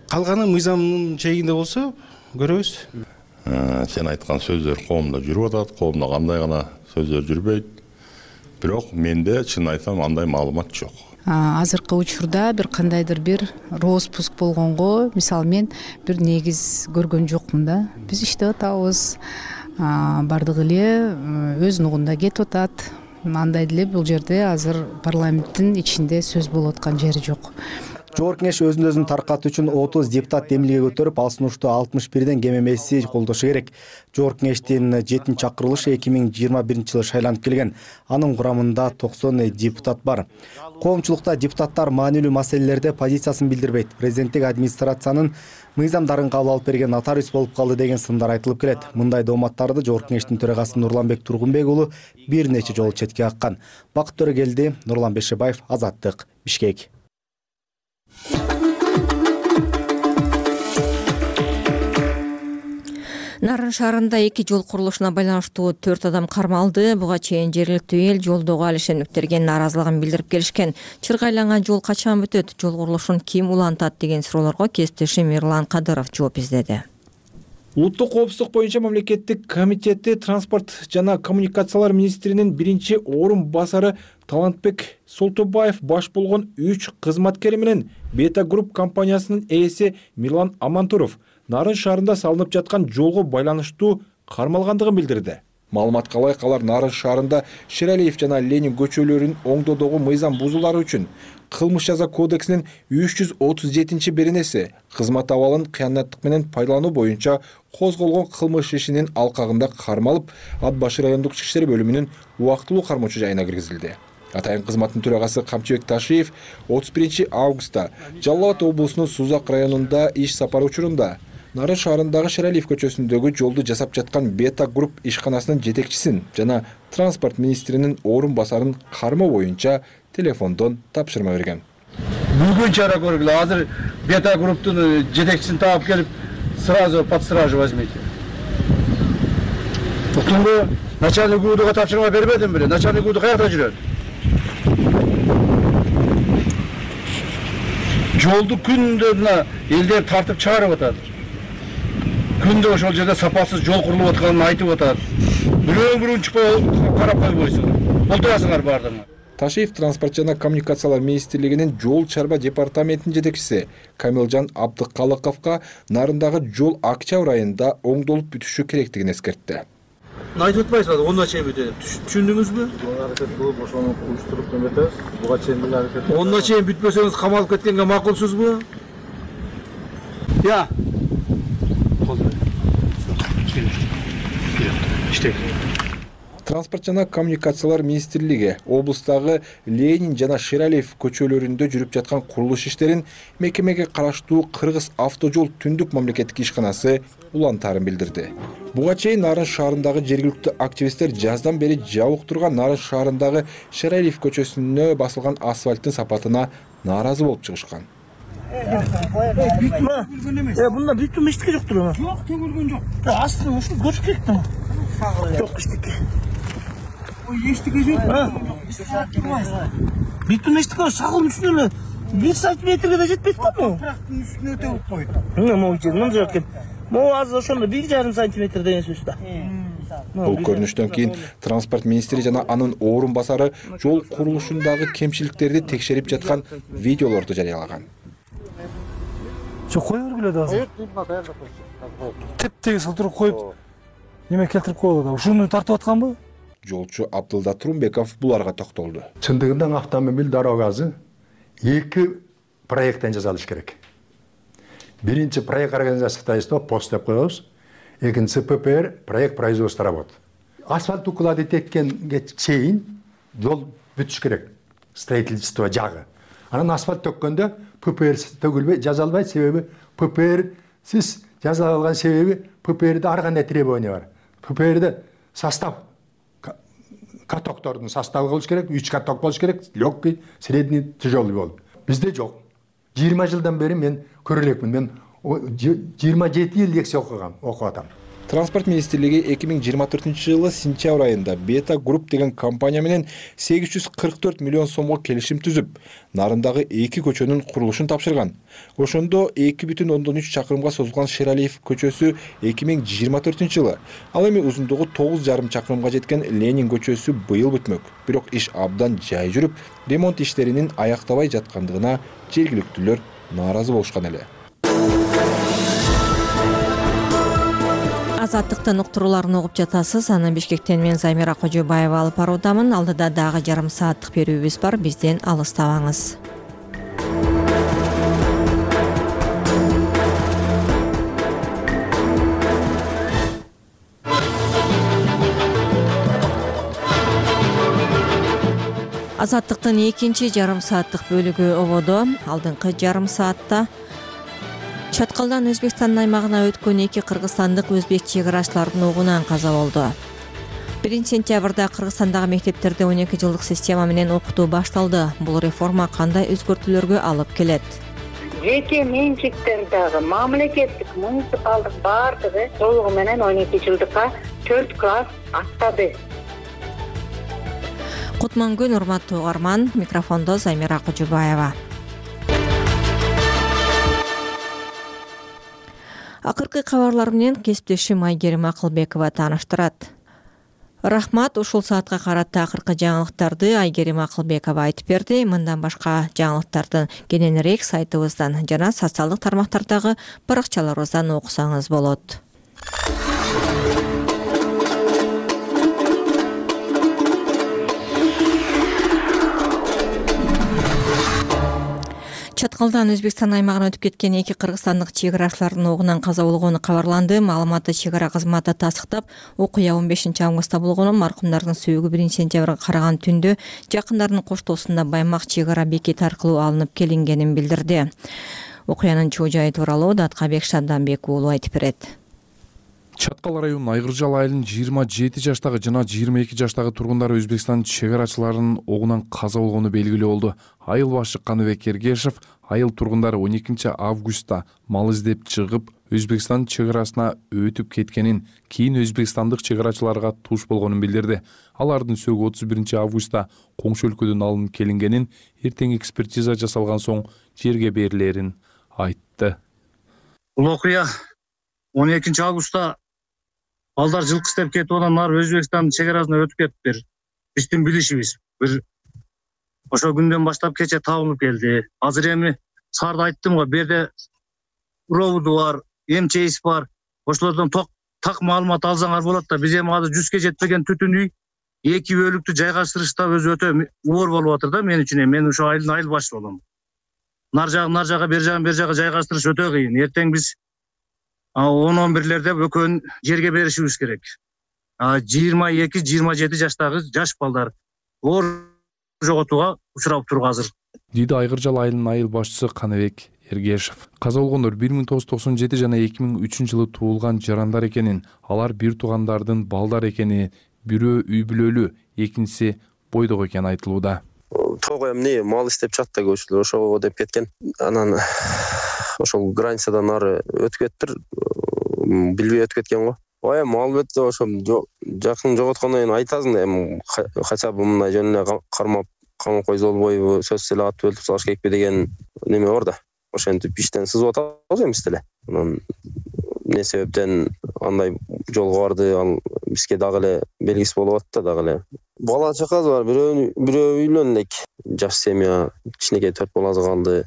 калганы мыйзамдын чегинде болсо көрөбүз. Сен айткан сөздөр коомдо жүрүп атат, коомдо кандай гана сөздөр жүрбөйт. Бирок менде чын айтсам андай маалымат жок. Азыркы учурда бир кандайдыр бир роспуск болгонго, мисалы мен бир негиз көргөн жокмун да. Биз иштеп атабыз. Бардыгы эле өз нугунда кетип атат. Андай деле бул жерде азыр парламенттин ичинде сөз болуп аткан жери жок. Жогорку Кеңеш өзүн таркатуу үчүн 30 депутат демилге көтөрүп, ал сунушту 61ден кем эмеси колдошу керек. Жогорку Кеңештин 7-чакырылышы 2021 жылы шайланып келген. Анын курамында 90 депутат бар. Коомчулукта депутаттар маанилүү маселелерде позициясын билдирбейт. Президенттик администрациянын мыйзамдарын кабыл алып берген нотариус болуп калды деген сындар айтылып келет. Мындай дооматтарды Жогорку Кеңештин төрагасы Нурланбек Тургунбек уулу бир нече жолу четке каккан. Бакыт Төрөгелди, Нурлан Бешебаев, Азаттык, Бишкек. Нарын шаарында 2 жол курулушуна байланыштуу 4 адам кармалды. Буга чейин жергиликтүү эл жолдогу алишендиктерге нааразылыгын билдирип келишкен. Чыргайланган жол качан бүтөт? Жол курулушун ким улантат деген суроолорго кесиптешим Эрлан Кадыров жооп издеди. Улуттук коопсуздук боюнча мамлекеттик комитети транспорт жана коммуникациялар министринин биринчи орун басары Талантбек Солтобаев баш болгон 3 кызматкери менен Бета Групп компаниясынын ээси Мирлан Амантуров Нарын шаарында салынып жаткан жолго байланыштуу кармалгандыгын билдирди. Маалыматка ылайык алар Нарын шаарында Шералиев жана Ленин көчөлөрүнүн оңдоодогу мыйзам бузуулары үчүн Кылмыш жаза кодексинин 337-беренеси кызмат абалын кыянаттык менен пайдалануу боюнча козголгон кылмыш ишинин алкагында кармалып, Ат башы райондук ички иштер бөлүмүнүн убактылуу кармоочу жайына киргизилди. Атайын кызматтын төрагасы Камчыбек Ташиев 31 августта Жалал Абад облусунун Сузак районунда иш сапары учурунда Нарын шаарындагы Шералиев көчөсүндөгү жолду жасап жаткан Бета Групп ишканасынын жетекчисин жана транспорт министринин орун басарын кармоо боюнча телефондон тапшырма берген. Бүгүн чара көргүлө, азыр Бета Групптун жетекчисин таап келип, сразу под стражу возьмите. Уктуңбу? Начальник УУДга тапшырма бербедим беле? Начальник УУД каякта жүрөт? Жолду күндө мына элдер тартып чыгарып атат. Күндө ошол жерде сапасыз жол курулуп атканын айтып атат. Бирөө-бирөөнү чыкпай карап койбойсуңар. Олтурасыңар баардыгыңар. Ташиев транспорт жана коммуникациялар министрлигинин жол чарба департаментинин жетекчиси Камилжан Абдыкалыковго Нарындагы жол октябрь айында оңдолуп бүтүшү керектигин эскертти. Айтып атпайсызбы, онда чейин бүтөт. Түшүндүңүзбү? Аракет кылып ошону уюштуруп эметебиз. Буга чейин деле аракет. Онда чейин бүтпөсөңүз камалып кеткенге макулсузбу? Я. Транспорт жана коммуникациялар министрлиги облустагы Ленин жана Шералиев көчөлөрүндө жүрүп жаткан курулуш иштерин мекемеге караштуу Кыргыз автожол түндүк мамлекеттик ишканасы улантаарын билдирди. Буга чейин Нарын шаарындагы жергиликтүү активисттер жаздан бери жабык турган Нарын шаарындагы Шералиев көчөсүнө басылган асфальттын сапатына нааразы болуп чыгышкан. Бунда бүтүн эчтеке жоктур. Жок, төгүлгөн жок. Астын ушул көчүп кетти. Жок эчтеке. Эчтеке жок. Бүтүн эчтеке шагыл үстүнө эле 1 сантиметрге да жетпейт да бу. Топурактын үстүнө өтө койду. Могу жерден жок экен. Могу азыр ошондо 1,5 сантиметр деген сөз да. Бул көрүнүштөн кийин транспорт министри жана анын орун басары жол курулушундагы кемчиликтерди текшерип жаткан видеолорду жарыялаган. Жок, кое бергиле да азыр. Теп-тегиз отуруп коюп, неме келтирип коюлду да. Ушуну тартып атканбы? Жолчу Абдылда Турумбеков буларга токтолду. Чындыгында автомобиль дорогасы 2 проекттен жасалыш керек. Биринчи проект организациясында пост деп коебуз. Экинчи ППР проект производства работ. Асфальт укладывать эткенге чейин жол бүтүш керек. Строительство жагы. Анан асфальт төккөндө ППР төгүлбөй, жазалбайт, себеби ППР сиз жаза алган себеби ППРде ар кандай требования бар. ППРде состав катоктордун составы болуш керек, 3 каток болуш керек, легкий, средний, тяжелый болуп. Бизде жок. 20 жылдан бери мен көрө элекмин. Мен 27 жыл лекция окугам, окуп атам. Транспорт министрлиги 2024-жылы сентябрь айында Beta Group деген компания менен 844 миллион сомго келишим түзүп, Нарындагы 2 көчөнүн курулушун тапшырган. Ошондо 2,3 чакырымга созулган Шералиев көчөсү 2024-жылы, ал эми узундугу 9,5 чакырымга жеткен Ленин көчөсү быйыл бүтмөк. Бирок иш абдан жай жүрүп, ремонт иштеринин аяктабай жаткандыгына жергиликтүүлөр нааразы болушкан эле. Азаттыктын уктурууларын угуп жатасыз. Анан Бишкектен мен Замира Кожобаева алып баруудамын. Алдыда дагы жарым сааттык берүүбүз бар. Бизден алыстабаңыз. Азаттыктын экинчи жарым сааттык бөлүгү ободо. Алдыңкы жарым саатта Чаткалдан Өзбекстандын аймагына өткөн 2 кыргызстандык өзбек чек арачылардын огунан каза болду. 1 сентябрда Кыргызстандагы мектептерде 12 жылдык система менен окутуу башталды. Бул реформа кандай өзгөртүүлөргө алып келет? Жеке менчиктердеги мамлекеттик муниципалдык баардыгы толугу менен 12 жылдыкка 4 класс аттады. Кутмангүн, урматтуу угарман, микрофондо Замира Кожобаева. Акыркы кабарлар менен кесиптешим Айгерим Акылбекова тааныштырат. Рахмат, ушул саатка карата акыркы жаңылыктарды Айгерим Акылбекова айтып берди. Мындан башка жаңылыктардын кененирээк сайтыбыздан жана социалдык тармактардагы баракчаларыбыздан окусаңыз болот. Чаткалдан Өзбекстан аймагына өтүп кеткен 2 кыргызстандык чек арачылардын огунан каза болгону кабарланды. Маалыматты чек ара кызматы тастыктап, окуя 15 августта болгону, маркумдардын сөөгү 1 сентябрга караган түндө жакындарынын коштоосунда Баймак чек ара бекети аркылуу алынып келингенин билдирди. Окуянын чоо жайы тууралуу Даткабек Шадданбек уулу айтып берет. Чаткал районунун Айгыржал айылынын 27 жаштагы жана 22 жаштагы тургундары Өзбекстан чек арачыларынын огунан каза болгону белгилүү болду. Айыл башы Каныбек Эргешев айыл тургундары 12 августта мал издеп чыгып, Өзбекстан чек арасына өтүп кеткенин, кийин өзбекстандык чек арачыларга туш болгонун билдирди. Алардын сөөгү 31 августта коңшу өлкөдөн алынып келингенин, эртең экспертиза жасалган соң жерге берилерин айтты. Бул окуя 12 августта балдар жылкы издеп кетип анан ары Өзбекстандын чек арасына өтүп кетиптир. Биздин билишибиз бир ошол күндөн баштап кече табылып келди. Азыр эми сарда айттым го, берде проводу бар, МЧС бар. Ошолордон так маалымат алсаңар болот да. Биз эми азыр 100ге жетпеген түтүн үй 2 бөлүктү жайгаштырышта өзү өтө оор болуп атыр да мен үчүн. Мен ошо айылдын айыл башы болом. Нар жагы, бер жагы жайгаштырыш өтө кыйын. Эртең биз 10-11лерде бөкөн жерге беришибиз керек. 22-27 жаштагы жаш балдар оор жоготууга учурап туруп азыр, дейди Айгыржал айылынын айыл башчысы Каныбек Эргешев. Каза болгондор 1997 жана 2003 жылы туулган жарандар экенин, алар бир туугандардын балдар экени, бирөө үй бүлөлүү, экинчиси бойдок экени айтылууда. Тоо эмне мал иштеп чат да көчүлөр ошого деп кеткен. Анан ошол границадан ары өтүп кетиптир, билбей өтүп кеткен го. Эми албетте ошо жакын жоготкондон кийин айтасың да, эми хотя бы мындай жөн эле кармап койсо болбойбу, сөзсүз эле ат өлтүрүп салыш керекпи деген неме бар да. Ошентип иштен сызып атабыз эмес деле. Анан эмне себептен андай жолго барды, ал бизге дагы эле белгисиз болуп атты да, дагы эле. Бала чакабыз бар, бирөө үйлөн элек. Жаш семья, кичинекей 4 баласы калды.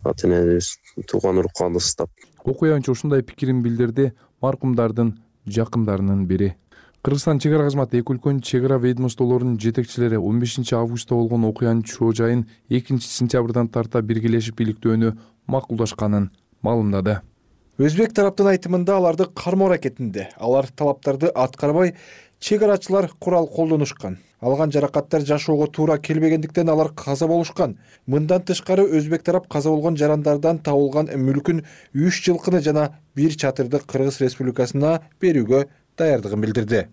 Ата-энебиз тууган уруп калдыбыз да. Окуянчы ушундай пикирин билдирди маркумдардын жакындарынын бири. Кыргызстан чек ара кызматы эки өлкөнүн чек ара ведомстволорунун жетекчилери 15 августта болгон окуянын чоо жайын 2 сентябрдан тарта биргелешип иликтөөнү макулдашканын маалымдады. Өзбек тараптын айтымында аларды кармоо аракетинде алар талаптарды аткарбай чек арачылар курал колдонушкан. Алган жаракаттар жашоого туура келбегендиктен алар каза болушкан. Мындан тышкары өзбек тарап каза болгон жарандардан табылган мүлкүн 3 жылкыны жана 1 чатырды Кыргыз Республикасына берүүгө даярдыгын билдирди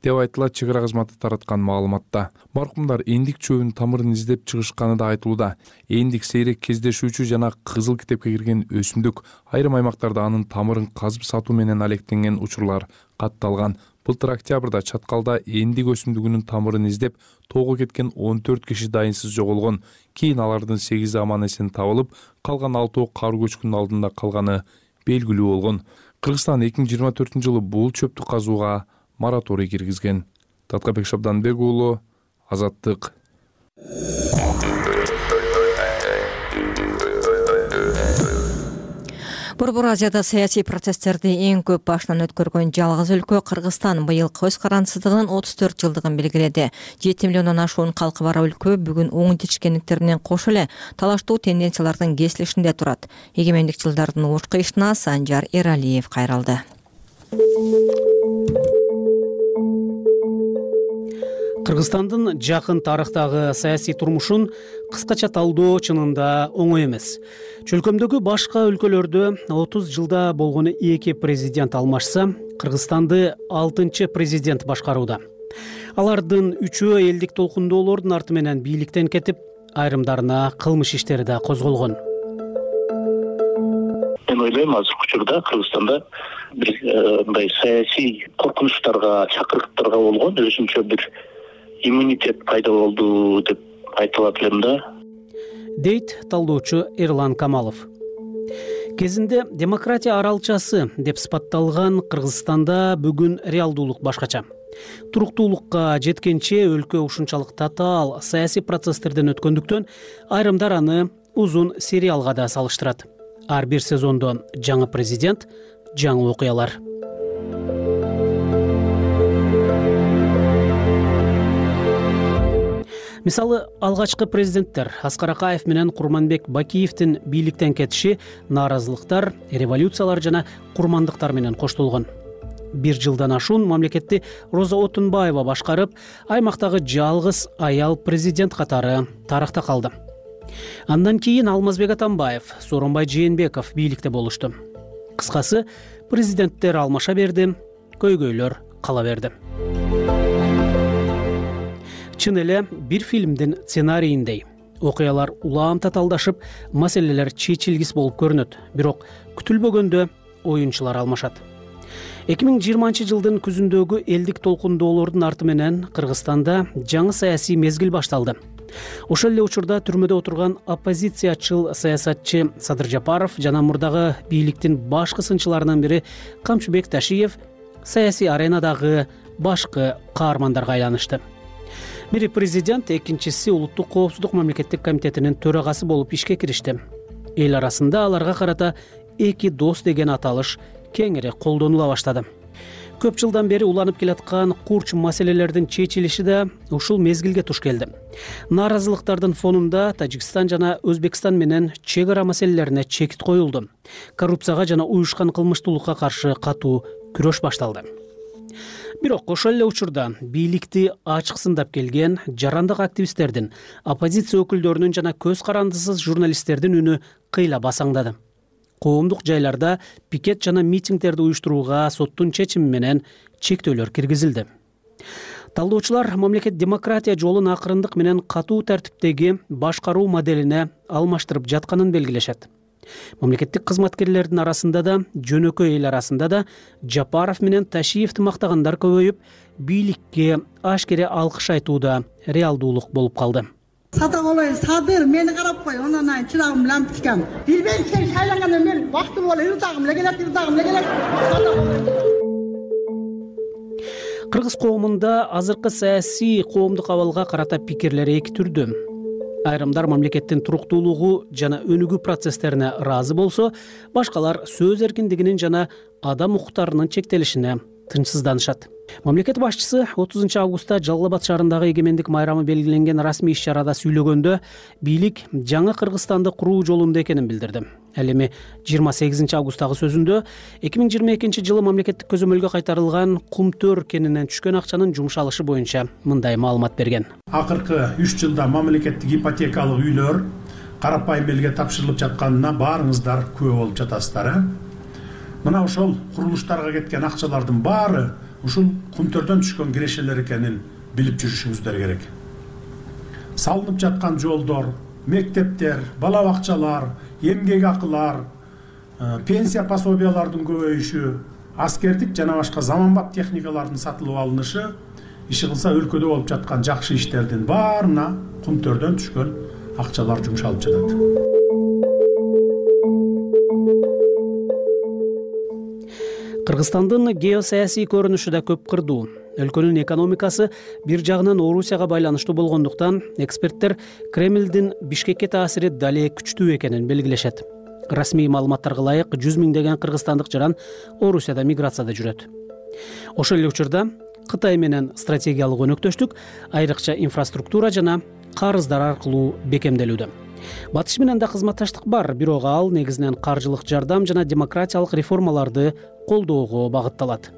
деп айтылат чек ара кызматы тараткан маалыматта. Маркумдар эндик чөбүнүн тамырын издеп чыгышканы да айтылууда. Эндик сейрек кездешүүчү жана кызыл китепке кирген өсүмдүк. Айрым аймактарда анын тамырын казып сатуу менен алектенген учурлар катталган. Былтыр октябрда Чаткалда эндик өсүмдүгүнүн тамырын издеп тоого кеткен 14 киши дайынсыз жоголгон. Кийин алардын 8 аман эсен табылып, калган 6 кар көчкүнүн алдында калганы белгилүү болгон. Кыргызстан 2024 жылы бул чөптү казууга мораторий киргизген. Таткабек Шабданбек уулу, Азаттык. Борбор Азияда саясий процесстерди эң көп башынан өткөргөн жалгыз өлкө Кыргызстан быйыл көз карандысыздыгынын 34 жылдыгын белгиледи. 7 миллиондон ашуун калкы бар өлкө бүгүн оң тишкендиктеринен кошо эле талаштуу тенденциялардын кесилишинде турат. Эгемендик жылдардын ош кыйышына Санжар Эралиев кайрылды. Кыргызстандын жакын тарыхтагы саясий турмушун кыскача талдоо чынында оңой эмес. Чөлкөмдөгү башка өлкөлөрдө 30 жылда болгону 2 президент алмашса, Кыргызстанды 6-чы президент башкарууда. Алардын 3-өө элдик толкундоолордун арты менен бийликтен кетип, айрымдарына кылмыш иштери да козголгон. Мен ойлойм, азыркы учурда Кыргызстанда бир мындай саясий коркунучтарга, чакырыктарга болгон өзүнчө бир иммунитет пайда болду деп айтылат элем да, дейт талдоочу Эрлан Камалов. Кезинде демократия аралчасы деп сыпатталган Кыргызстанда бүгүн реалдуулук башкача. Туруктуулукка жеткенче өлкө ушунчалык татаал саясий процесстерден өткөндүктөн айрымдар аны узун сериалга да салыштырат. Ар бир сезондо жаңы президент, жаңы окуялар. Мисалы, алгачкы президенттер Аскар Акаев менен Курманбек Бакиевдин бийликтен кетиши нааразылыктар, революциялар жана курмандыктар менен коштолгон. 1 жылдан ашуун мамлекетти Роза Отунбаева башкарып, аймактагы жалгыз аял президент катары тарыхта калды. Андан кийин Алмазбек Атамбаев, Сооронбай Жээнбеков бийликте болушту. Кыскасы, президенттер алмаша берди, көйгөйлөр кала берди. Чын эле бир фильмдин сценарииндей. Окуялар улам татаалдашып, маселелер чечилгис болуп көрүнөт. Бирок күтүлбөгөндө оюнчулар алмашат. 2020 жылдын күзүндөгү элдик толкундоолордун арты менен Кыргызстанда жаңы саясий мезгил башталды. Ошол эле учурда түрмөдө отурган оппозициячыл саясатчы Садыр Жапаров жана мурдагы бийликтин башкы сынчыларынын бири Камчыбек Ташиев саясий аренадагы башкы каармандарга айланышты. Бири президент, экинчиси улуттук коопсуздук мамлекеттик комитетинин төрагасы болуп ишке киришти. Эл арасында аларга карата эки дос деген аталыш кеңири колдонула баштады. Көп жылдан бери уланып келаткан курч маселелердин чечилиши да ушул мезгилге туш келди. Нааразылыктардын фонунда Тажикстан жана Өзбекстан менен чек ара маселелерине чекит коюлду. Коррупцияга жана уюшкан кылмыштуулукка каршы катуу күрөш башталды. Бирок ошол эле учурда бийликти ачык сындап келген жарандык активисттердин, оппозиция өкүлдөрүнүн жана көз карандысыз журналисттердин үнү кыйла басаңдады. Коомдук жайларда пикет жана митингдерди уюштурууга соттун чечими менен чектөөлөр киргизилди. Талдоочулар мамлекет демократия жолун акырындык менен катуу тартиптеги башкаруу моделине алмаштырып жатканын белгилешет. Мамлекеттик кызматкерлердин арасында да, жөнөкөй эл арасында да Жапаров менен Ташиевди мактагандар көбөйүп, бийликке ашкере алкыш айтууда реалдуулук болуп калды. Сатып алайын, садыр, мени карап кой, ондан айн чырагым менен тикем. Билбейм, сен шайланганда мен вактым болот, утагым эле келет. Кыргыз коомунда азыркы саясий коомдук абалга карата пикирлер эки түрдүү. Айрымдар мамлекеттин туруктуулугу жана өнүгүү процесстерине ыраазы болсо, башкалар сөз эркиндигинин жана адам укуктарынын чектелишине тынчсызданышат. Мамлекет башчысы 30 августта Жалал Абад шаарындагы эгемендик майрамы белгиленген расмий иш-чарада сүйлөгөндө бийлик жаңы Кыргызстанды куруу жолунда экенин билдирди. Ал эми 28 августтагы сөзүндө 2022 жылы мамлекеттик көзөмөлгө кайтарылган Кумтөр кенинен түшкөн акчанын жумшалышы боюнча мындай маалымат берген. Акыркы 3 жылда мамлекеттик ипотекалык үйлөр карапайым элге тапшырылып жатканына баарыңыздар күбө болуп жатасыздар. Мына ошол курулуштарга кеткен акчалардын баары ушул Кумтөрдөн түшкөн кирешелер экенин билип жүрүшүңүздөр керек. Салынып жаткан жолдор, мектептер, бала бакчалар, эмгек акылар, пенсия пособиялардын көбөйүшү, аскердик жана башка заманбап техникалардын сатылып алынышы, иши кылса өлкөдө болуп жаткан жакшы иштердин баарына Кумтөрдөн түшкөн акчалар жумшалып жатат. Кыргызстандын геосаясий көрүнүшү да көп кырдуу. Өлкөнүн экономикасы бир жагынан Орусияга байланыштуу болгондуктан эксперттер Кремлдин Бишкекке таасири дале күчтүү экенин белгилешет. Расмий маалыматтарга ылайык 100 миңдеген кыргызстандык жаран Орусияда миграцияда жүрөт. Ошол эле учурда Кытай менен стратегиялык өнөктөштүк айрыкча инфраструктура жана карыздар аркылуу бекемделүүдө. Батыш менен да кызматташтык бар, бирок ал негизинен каржылык жардам жана демократиялык реформаларды колдоого багытталат.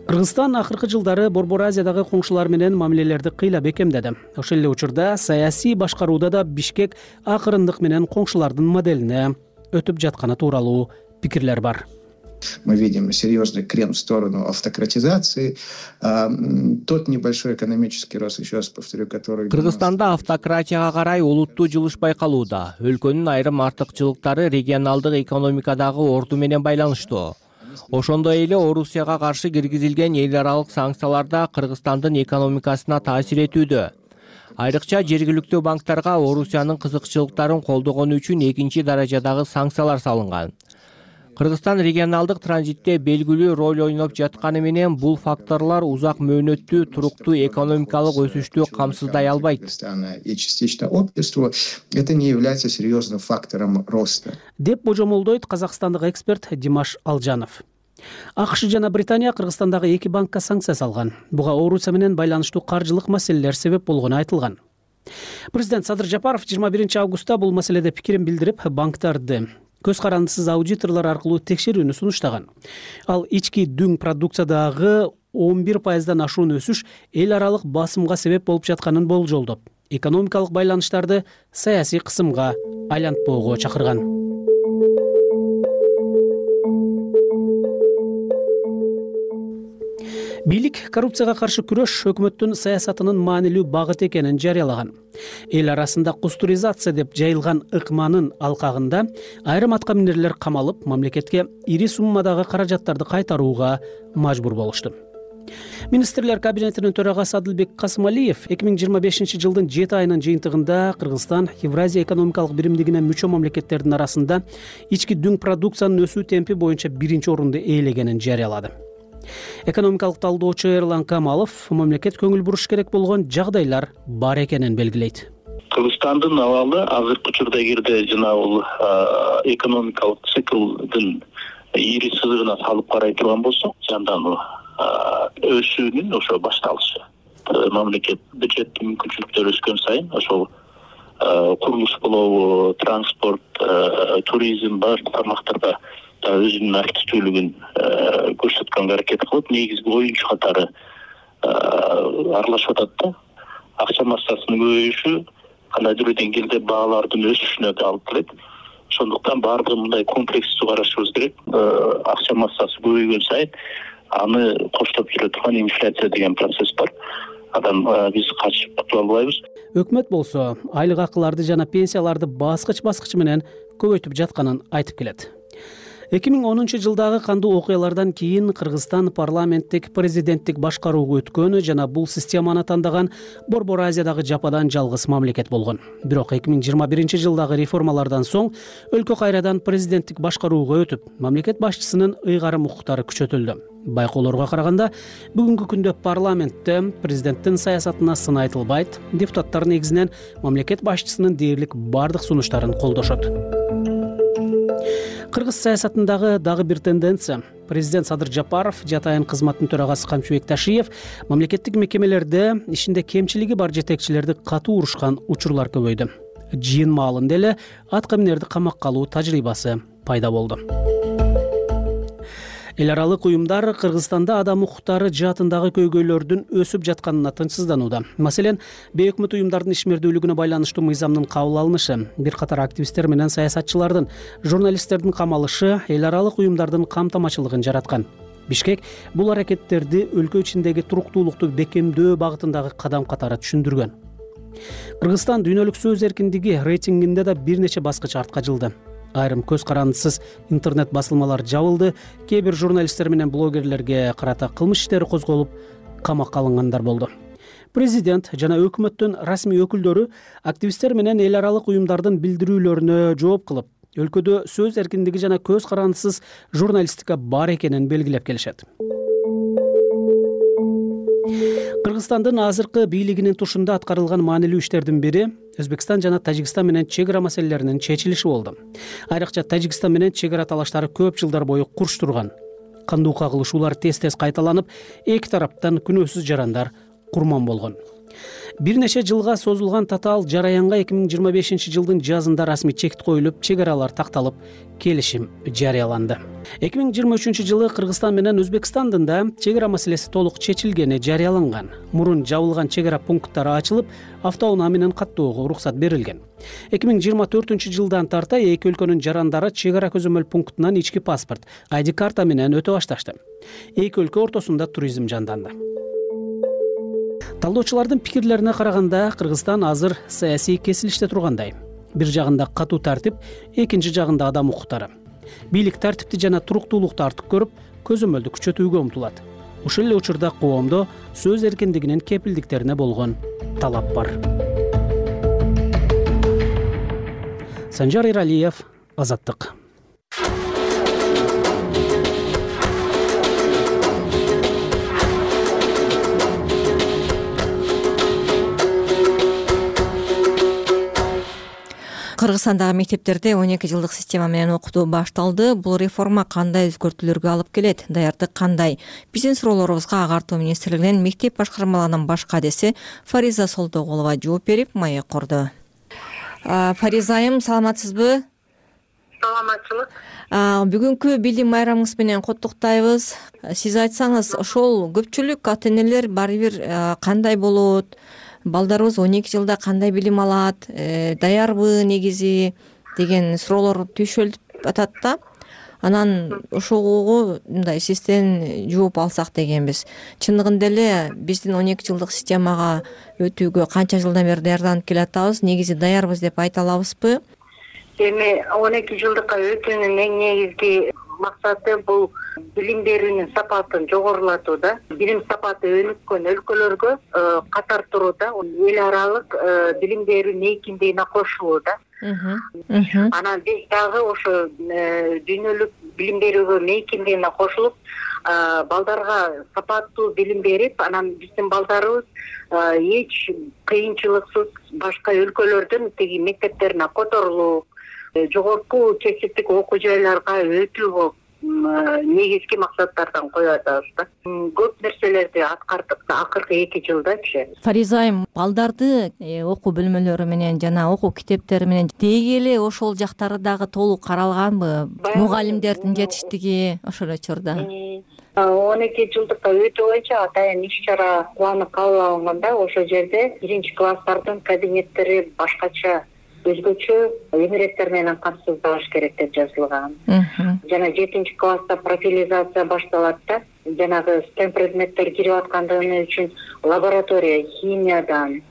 Кыргызстан акыркы жылдары Борбор Азиядагы коңшулар менен мамилелерди кыйла бекемдеди. Ошол эле учурда саясий башкарууда да Бишкек акырындык менен коңшулардын моделине өтүп жатканы тууралуу пикирлер бар. Мы видим серьезный крен в сторону автократизации. Тот небольшой экономический рост, еще раз повторю, который... Кыргызстанда автократияга карай олуттуу жылыш байкалууда. Өлкөнүн айрым артыкчылыктары регионалдык экономикадагы орду менен байланыштуу. Ошондой эле Орусияга каршы киргизилген эл аралык санкциялар да Кыргызстандын экономикасына таасир этүүдө. Айрыкча жергиликтүү банктарга Орусиянын кызыкчылыктарын колдогону үчүн экинчи даражадагы санкциялар салынган. Кыргызстан регионалдык транзитте белгилүү роль ойноп жатканы менен бул факторлор узак мөөнөттүү туруктуу экономикалык өсүштү камсыздай албайт. И частично обществу это не является серьезным фактором роста. Деп божомолдойт казакстандык эксперт Димаш Алжанов. АКШ жана Британия Кыргызстандагы эки банкка санкция салган. Буга Орусия менен байланыштуу каржылык маселелер себеп болгону айтылган. Президент Садыр Жапаров 21 августта бул маселеде пикирин билдирип, банктарды көз карандысыз аудиторлор аркылуу текшерүүнү сунуштаган. Ал ички дүң продукциядагы 11%дан ашуун өсүш эл аралык басымга себеп болуп жатканын болжолдоп, экономикалык байланыштарды саясий кысымга айлантпоого чакырган. Бийлик коррупцияга каршы күрөш өкмөттүн саясатынын маанилүү багыты экенин жарыялаган. Эл арасында кустуризация деп жайылган ыкманын алкагында айрым аткаминерлер камалып, мамлекетке ири суммадагы каражаттарды кайтарууга мажбур болушту. Министрлер кабинетинин төрагасы Адылбек Касымалиев 2025 жылдын 7 айынын жыйынтыгында Кыргызстан Евразия экономикалык биримдигине мүчө мамлекеттердин арасында ички дүң продукциянын өсүү темпи боюнча биринчи орунду ээлегенин жарыялады. Экономикалык талдоочу Эрлан Камалов мамлекет көңүл буруш керек болгон жагдайлар бар экенин белгилейт. Кыргызстандын абалы азыркы учурда эгерде жанагы экономикалык циклдын ири сызыгына салып карай турган болсок, жандануу өсүүнүн ошо башталышы. Мамлекет бюджеттик мүмкүнчүлүктөр өскөн сайын ошол курулуш болобу, транспорт, туризм бар тармактарда өзүнүн активдүүлүгүн көрсөткөнгө аракет кылып, негизги оюнчу катары аралашып атат да. Акча массасынын көбөйүшү кандайдыр бир деңгээлде баалардын өсүшүнө да алып келет. Ошондуктан баардыгын мындай комплекстүү карашыбыз керек. Акча массасы көбөйгөн сайын аны коштоп жүрө турган инфляция деген процесс бар. Андан биз качып кутула албайбыз. Өкмөт болсо айлык акыларды жана пенсияларды баскыч менен көбөйтүп жатканын айтып келет. 2010 жылдагы кандуу окуялардан кийин Кыргызстан парламенттик президенттик башкарууга өткөн жана бул системаны тандаган Борбор Азиядагы жападан жалгыз мамлекет болгон. Бирок 2021 жылдагы реформалардан соң өлкө кайрадан президенттик башкарууга өтүп, мамлекет башчысынын ыйгарым укуктары күчөтүлдү. Байкоолорго караганда бүгүнкү күндө парламентте президенттин саясатына сын айтылбайт, депутаттар негизинен мамлекет башчысынын дээрлик бардык сунуштарын колдошот. Кыргыз саясатындагы дагы бир тенденция. Президент Садыр Жапаров, Жатайын кызматтын төрагасы Камчыбек Ташиев мамлекеттик мекемелерде ишинде кемчилиги бар жетекчилерди катуу урушкан учурлар көбөйдү. Жыйын маалында эле атка минерди камакка алуу тажрыйбасы пайда болду. Эл аралык уюмдар Кыргызстанда адам укуктары жаатындагы көйгөйлөрдүн өсүп жатканына тынчсызданууда. Маселен, бейөкмөт уюмдардын ишмердүүлүгүнө байланыштуу мыйзамдын кабыл алынышы, бир катар активисттер менен саясатчылардын, журналисттердин камалышы эл аралык уюмдардын камтамачылыгын жараткан. Бишкек бул аракеттерди өлкө ичиндеги туруктуулукту бекемдөө багытындагы кадам катары түшүндүргөн. Кыргызстан дүйнөлүк сөз эркиндиги рейтингинде да бир нече баскыч артка жылды. Айрым көз карандысыз интернет басылмалар жабылды, кээ бир журналисттер менен блогерлерге карата кылмыш иштери козголуп, камакка алынгандар болду. Президент жана өкмөттүн расмий өкүлдөрү активисттер менен эл аралык уюмдардын билдирүүлөрүнө жооп кылып, өлкөдө сөз эркиндиги жана көз карандысыз журналистика бар экенин белгилеп келишет. Кыргызстандын азыркы бийлигинин тушунда аткарылган маанилүү иштердин бири Өзбекстан жана Тажикстан менен чек ара маселелеринин чечилиши болду. Айрыкча Тажикстан менен чек ара талаштары көп жылдар бою курч турган. Кандуу кагылышуулар тез кайталанып, эки тараптан күнөөсүз жарандар курман болгон. Бир нече жылга созулган татаал жараянга 2025 жылдын жазында расмий чекит коюлуп, чек аралар такталып, келишим жарыяланды. 2023 жылы Кыргызстан менен Өзбекстандын да чек ара маселеси толук чечилгени жарыяланган. Мурун жабылган чек ара пункттары ачылып, автоунаа менен каттоого уруксат берилген. 2024 жылдан тарта эки өлкөнүн жарандары чек ара көзөмөл пунктунан ички паспорт, ID карта менен өтө башташты. Эки өлкө ортосунда туризм жанданды. Талдоочулардын пикирлерине караганда, Кыргызстан азыр саясий кесилиште тургандай. Бир жагында катуу тартип, экинчи жагында адам укуктары. Бийлик тартипти жана туруктуулукту артык көрүп, көзөмөлдү күчөтүүгө умтулат. Ушул эле учурда коомдо сөз эркиндигинин кепилдиктерине болгон талап бар. Санжар Иралиев, Азаттык. Кыргызстандагы мектептерде 12 жылдык система менен окутуу башталды. Бул реформа кандай өзгөртүүлөргө алып келет? Даярдык кандай? Биздин суроолорубузга Агартуу министрлигинин мектеп башкармаларынын баш кадеси Фариза Солтоголова жооп берип, маек курду. Фариза айым, саламатсызбы? Саламатчылык. Бүгүнкү билим байрамыңыз менен куттуктайбыз. Сиз айтсаңыз, ошол көпчүлүк ата-энелер баары бир кандай болот? Балдарыбыз 12 жылда кандай билим алат, даярбы негизи деген суроолор түйшөлүп атат да. Анан ошого мындай сизден жооп алсак дегенбиз. Чындыгында эле биздин 12 жылдык системага өтүүгө канча жылдан бери даярданып келатабыз, негизи даярбыз деп айта алабызбы? Эми 12 жылдыкка өтүүнүн эң негизги максаты бул билим берүүнүн сапатын жогорулатуу да. Билим сапаты өнүккөн өлкөлөргө катар турууда эл аралык билим берүү мейкиндигине кошулуу да. Анан биз дагы ошо дүйнөлүк билим берүүгө мейкиндигине кошулуп, балдарга сапаттуу билим берип, анан биздин балдарыбыз эч кыйынчылыксыз башка өлкөлөрдүн тиги мектептерине которулуп, жогорку кесиптик окуу жайларга өтүү болуп негизги максаттардан коюп атабыз да. Көп нерселерди аткардык акыркы 2 жылдачы. Фариза айым, балдарды окуу бөлмөлөрү менен жана окуу китептери менен деги эле ошол жактары дагы толук каралганбы? Мугалимдердин жетиштиги ошол учурда. 12 жылдыкка өтүү боюнча атайын иш-чара планы кабыл алынганда ошол жерде 1-класстардын кабинеттери башкача өзгөчө эмереттер менен камсыздалыш керек деп жазылган. Жана 7-класста профилизация башталат да. Жанагы STEM предметтер кирип аткандыгы үчүн лаборатория химиядан,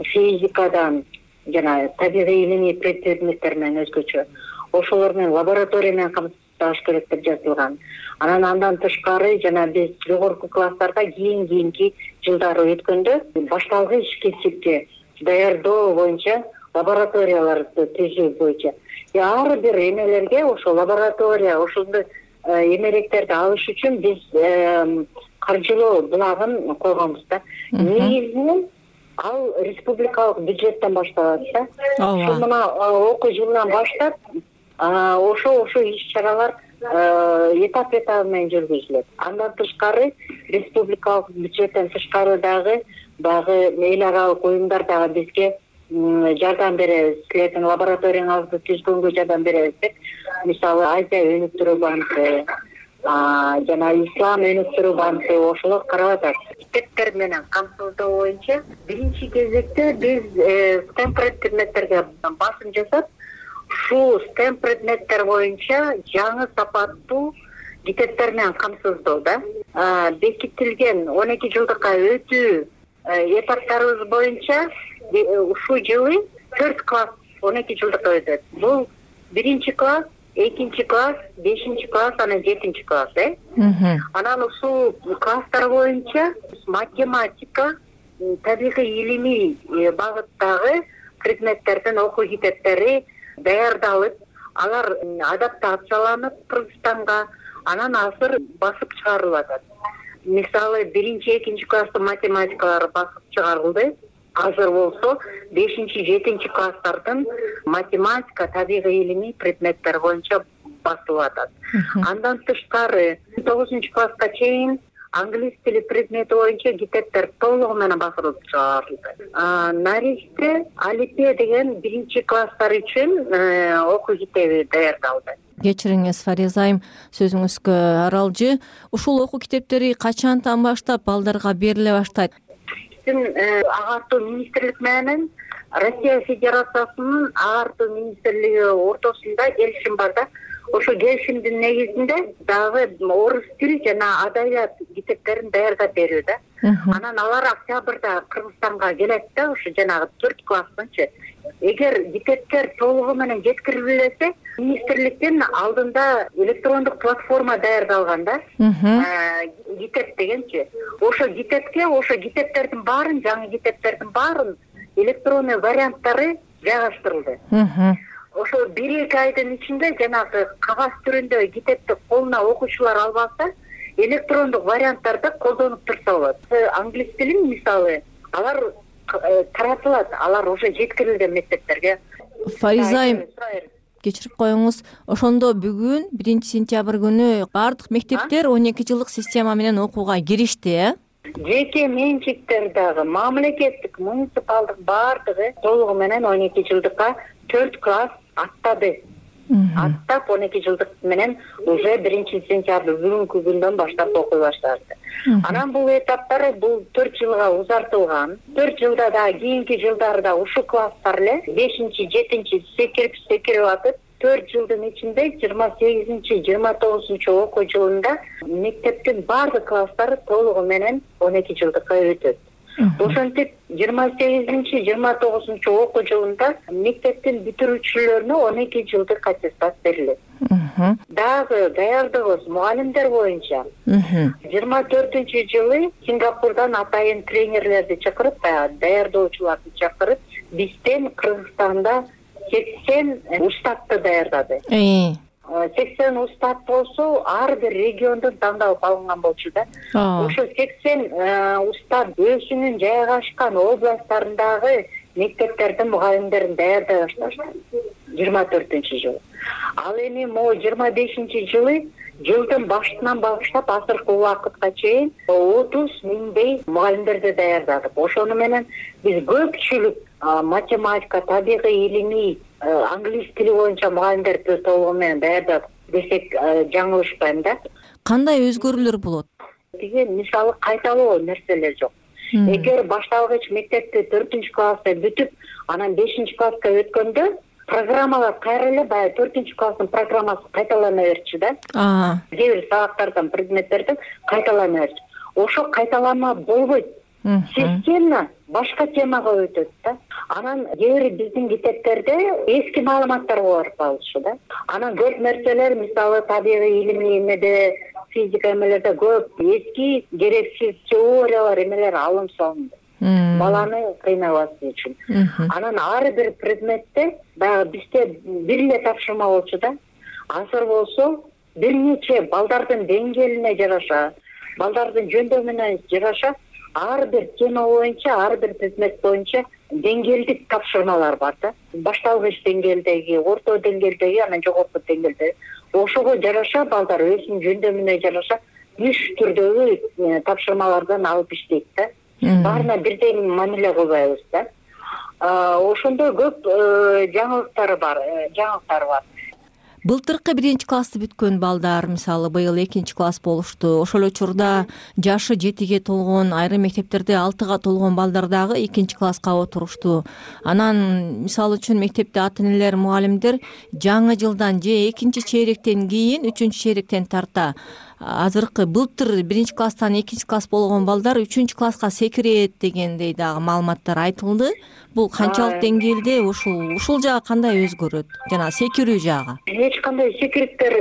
физикадан жана табигый илимий предметтер менен өзгөчө ошолор менен лаборатория менен камсыздалыш керек деп жазылган. Андан тышкары жана биз жогорку класстарда кийинки жылдары өткөндө башталгыч кесипти даярдоо боюнча лабораторияларды түзүү боюнча ар бир эмелерге ошол лаборатория ошондой эмеректерди алыш үчүн биз каржылоо булагын койгонбуз да. Негизинен ал республикалык бюджеттен башталат да. Ошол мына окуу жылынан баштап ошо иш-чаралар этап менен жүргүзүлөт. Андан тышкары республикалык бюджеттен тышкары дагы эл аралык уюмдар дагы бизге жардам беребиз. Силердин лабораторияңызды түзгөнгө жардам беребиз деп. Мисалы Азия өнүктүрүү банкы, жана Ислам өнүктүрүү банкы ошолор карап атат. Китептер менен камсыздоо боюнча биринчи кезекте биз STEM предметтерге басым жасап, ушул STEM предметтер боюнча жаңы сапаттуу китептер менен камсыздоо да. Бекитилген 12 жылдыкка өтүү этаптарыбыз боюнча ушул жылы 4 класс 12 жылдыкка өтөт. Бул 1-класс, 2-класс, 5-класс, анан 7-класс, Анан ушул класстар боюнча математика, табигый илимий багыттагы предметтердин окуу китептери даярдалып, алар адаптацияланып Кыргызстанга анан азыр басып чыгарылып атат. Мисалы 1-2 класстын математикалары басып чыгарылды. Азыр болсо 5-7 класстардын математика, табигый илимий предметтер боюнча басылып атат. Андан тышкары 9 класска чейин англис тили предмети боюнча китептер толугу менен басылып чыгарылды. Наристе алифбе деген 1-класстар үчүн окуу китеби даярдалды. Кечириңиз Фариза айым, сөзүңүзгө аралжы. Ушул окуу китептери качантан баштап балдарга бериле баштайт? Агартуу министрлик менен Россия Федерациясынын агартуу министрлиги ортосунда келишим бар да. Ошо келишимдин негизинде дагы орус тил жана адабият китептерин даярдап берүү да. Анан алар октябрда Кыргызстанга келет да, ошо жанагы 4 класстынчы. Эгер китептер толугу менен жеткирилбесе, министрликтин алдында электрондук платформа даярдалган да. Китеп дегенчи. Ошо китептердин баарын, жаңы китептердин баарын электронный варианттары жайгаштырылды. Ошо 1-2 айдын ичинде жанагы кагаз түрүндө китепти колуна окуучулар албаса, электрондук варианттарды колдонуп турса болот. Англис тилин мисалы, алар таратылат, алар уже жеткирилген мектептерге. Фариза айым, кечирип коюңуз, ошондо бүгүн 1-сентябрь күнү баардык мектептер 12 жылдык система менен окууга киришти, Жеке менчиктер дагы, мамлекеттик, муниципалдык баардыгы толугу менен 12 жылдыкка 4 класс аттады. Аттап 12 жылдык менен уже 1-сентябрь бүгүнкү күндөн баштап окуй баштады. Анан бул этаптар бул 4 жылга узартылган. 4 жылда да кийинки жылдарда ушул класстар эле 5-7 секирип атып, 4 жылдын ичинде 28-29 окуу жылында мектептин баардык класстары толугу менен 12 жылдыкка өтөт. Ошентип 28-29 окуу жылында мектептин бүтүрүүчүлөрүнө 12 жылдык аттестат берилет. Дагы даярдыгыбыз мугалимдер боюнча 24-жылы Сингапурдан атайын тренерлерди чакырып, даярдоочуларды чакырып, бизден Кыргызстанда 80 устатты даярдады. 80 устат болсо, ар бир региондон тандалып алынган болчу да. Ошо 80 устат өзүнүн жайгашкан областтарындагы мектептердин мугалимдерин даярдай башташты 24-жылы. Ал эми могу 25-жылы жылдын башынан баштап азыркы убакытка чейин 30 миңдей мугалимдерди даярдадык. Ошону менен биз көпчүлүк математика, табигый илимий, англис тили боюнча мугалимдерди толугу менен даярдадык десек жаңылышпайм да. Кандай өзгөрүүлөр болот? Тиги мисалы кайталоо нерселер жок. Эгер башталгыч мектепти 4-класста бүтүп, анан 5-класска өткөндө программалар кайра эле баягы 4-класстын программасы кайталана берчү да. Кээ бир сабактардан, предметтерден кайталана берчү. Ошо кайталанма болбойт. Система башка темага өтөт да. Анан кээ бир биздин китептерде эски маалыматтар бар калышы да. Анан көп нерселер, мисалы табигый илимий эмеде, физика эмелерде көп эски керексиз теориялар эмелер алынып салынды. Баланы кыйнабасы үчүн. Анан ар бир предметте баягы бизде бир эле тапшырма болчу да. Азыр болсо бир нече балдардын деңгээлине жараша, балдардын жөндөмүнө жараша ар бир тема боюнча, ар бир предмет боюнча деңгээлдик тапшырмалар бар да. Башталгыч деңгээлдеги, орто деңгээлдеги, анан жогорку деңгээлдеги. Ошого жараша балдар өзүнүн жөндөмүнө жараша 3 түрдөгү тапшырмалардан алып иштейт да. Баарына бирдей мамиле кылбайбыз да. Ошондой көп жаңылыктар бар. Былтыркы 1-классты бүткөн балдар, мисалы быйыл 2-класс болушту. Ошол учурда жашы 7ге толгон, айрым мектептерде 6га толгон балдар дагы 2-класска отурушту. Анан мисалы үчүн мектепте ата-энелер, мугалимдер жаңы жылдан же 2-чейректен кийин 3-чейректен тарта азыркы былтыр 1-класстан 2-класс болгон балдар 3-класска секирет дегендей дагы маалыматтар айтылды. Бул канчалык деңгээлде, ушул жагы кандай өзгөрөт? Жана секирүү жагы. Эч кандай секириттер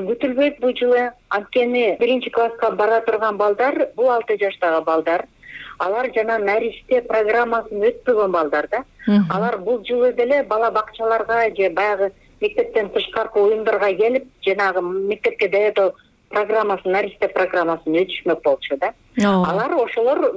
күтүлбөйт бул жылы. Анткени 1-класска бара турган балдар, бул 6 жаштагы балдар. Алар жана наристе программасын өтпөгөн балдар да. Алар бул жылы деле бала бакчаларга же баягы мектептен тышкаркы уюмдарга келип, жанагы мектепке даярдоо программасын, наристе программасын өтүшмөк болчу да. Алар ошолор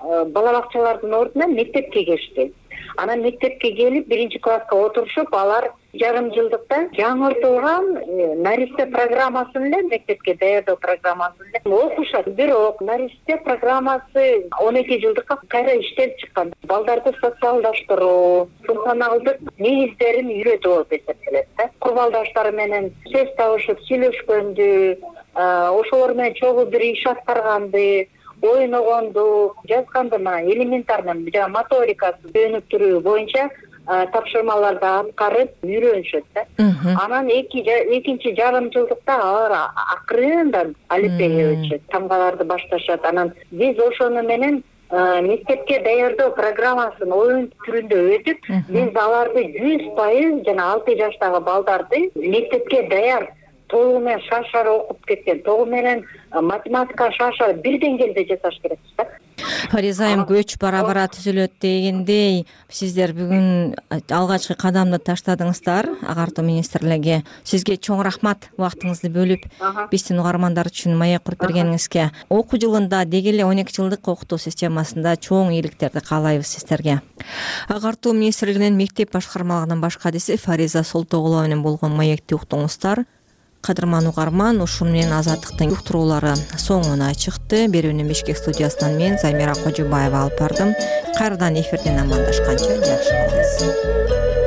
бала бакчалардын ордуна мектепке келишти. Анан мектепке келип 1-класска отурушуп, алар жарым жылдыкта жаңыртылган наристе программасын эле, мектепке даярдоо программасын эле окушат. Бирок наристе программасы 12 жылдыкка кайра иштелип чыккан. Балдарды социалдаштыруу, функционалдык негиздерин үйрөтүү болуп эсептелет да. Курбалдаштары менен сөз табышып сүйлөшкөндү, ошолор менен чогуу бир иш аткарганды, ойногонду, жазганды, элементарный моторикасы өнүктүрүү боюнча тапшырмаларды аткарып үйрөнүшөт да. Анан экинчи жарым жылдыкта алар акырындан алифбеге өтүшөт, тамгаларды башташат. Анан биз ошону менен мектепке даярдоо программасын оюн түрүндө өтүп, биз аларды 100% жана 6 жаштагы балдарды мектепке даяр толугу менен шаршар окуп кеткен, толугу менен математика шаршар бир деңгээлде жасаш керек да. Фариза айым, көч бара-бара түзүлөт дегендей, сиздер бүгүн алгачкы кадамды таштадыңыздар агартуу министрлиги. Сизге чоң рахмат убактыңызды бөлүп, биздин угармандар үчүн маек куруп бергениңизге. Окуу жылында деги эле 12 жылдык окутуу системасында чоң ийгиликтерди каалайбыз сиздерге. Агартуу министрлигинин мектеп башкармалыгынын баш кадиси Фариза Солтоголова менен болгон маекти уктуңуздар. Кадырман угарман, ушун менен Азаттыктын уктуруулары соңуна чыкты. Берүүнү Бишкек студиясынан мен Замира Кожубаева алып бардым. Кайрадан эфирден амандашканча жакшы болуңуз.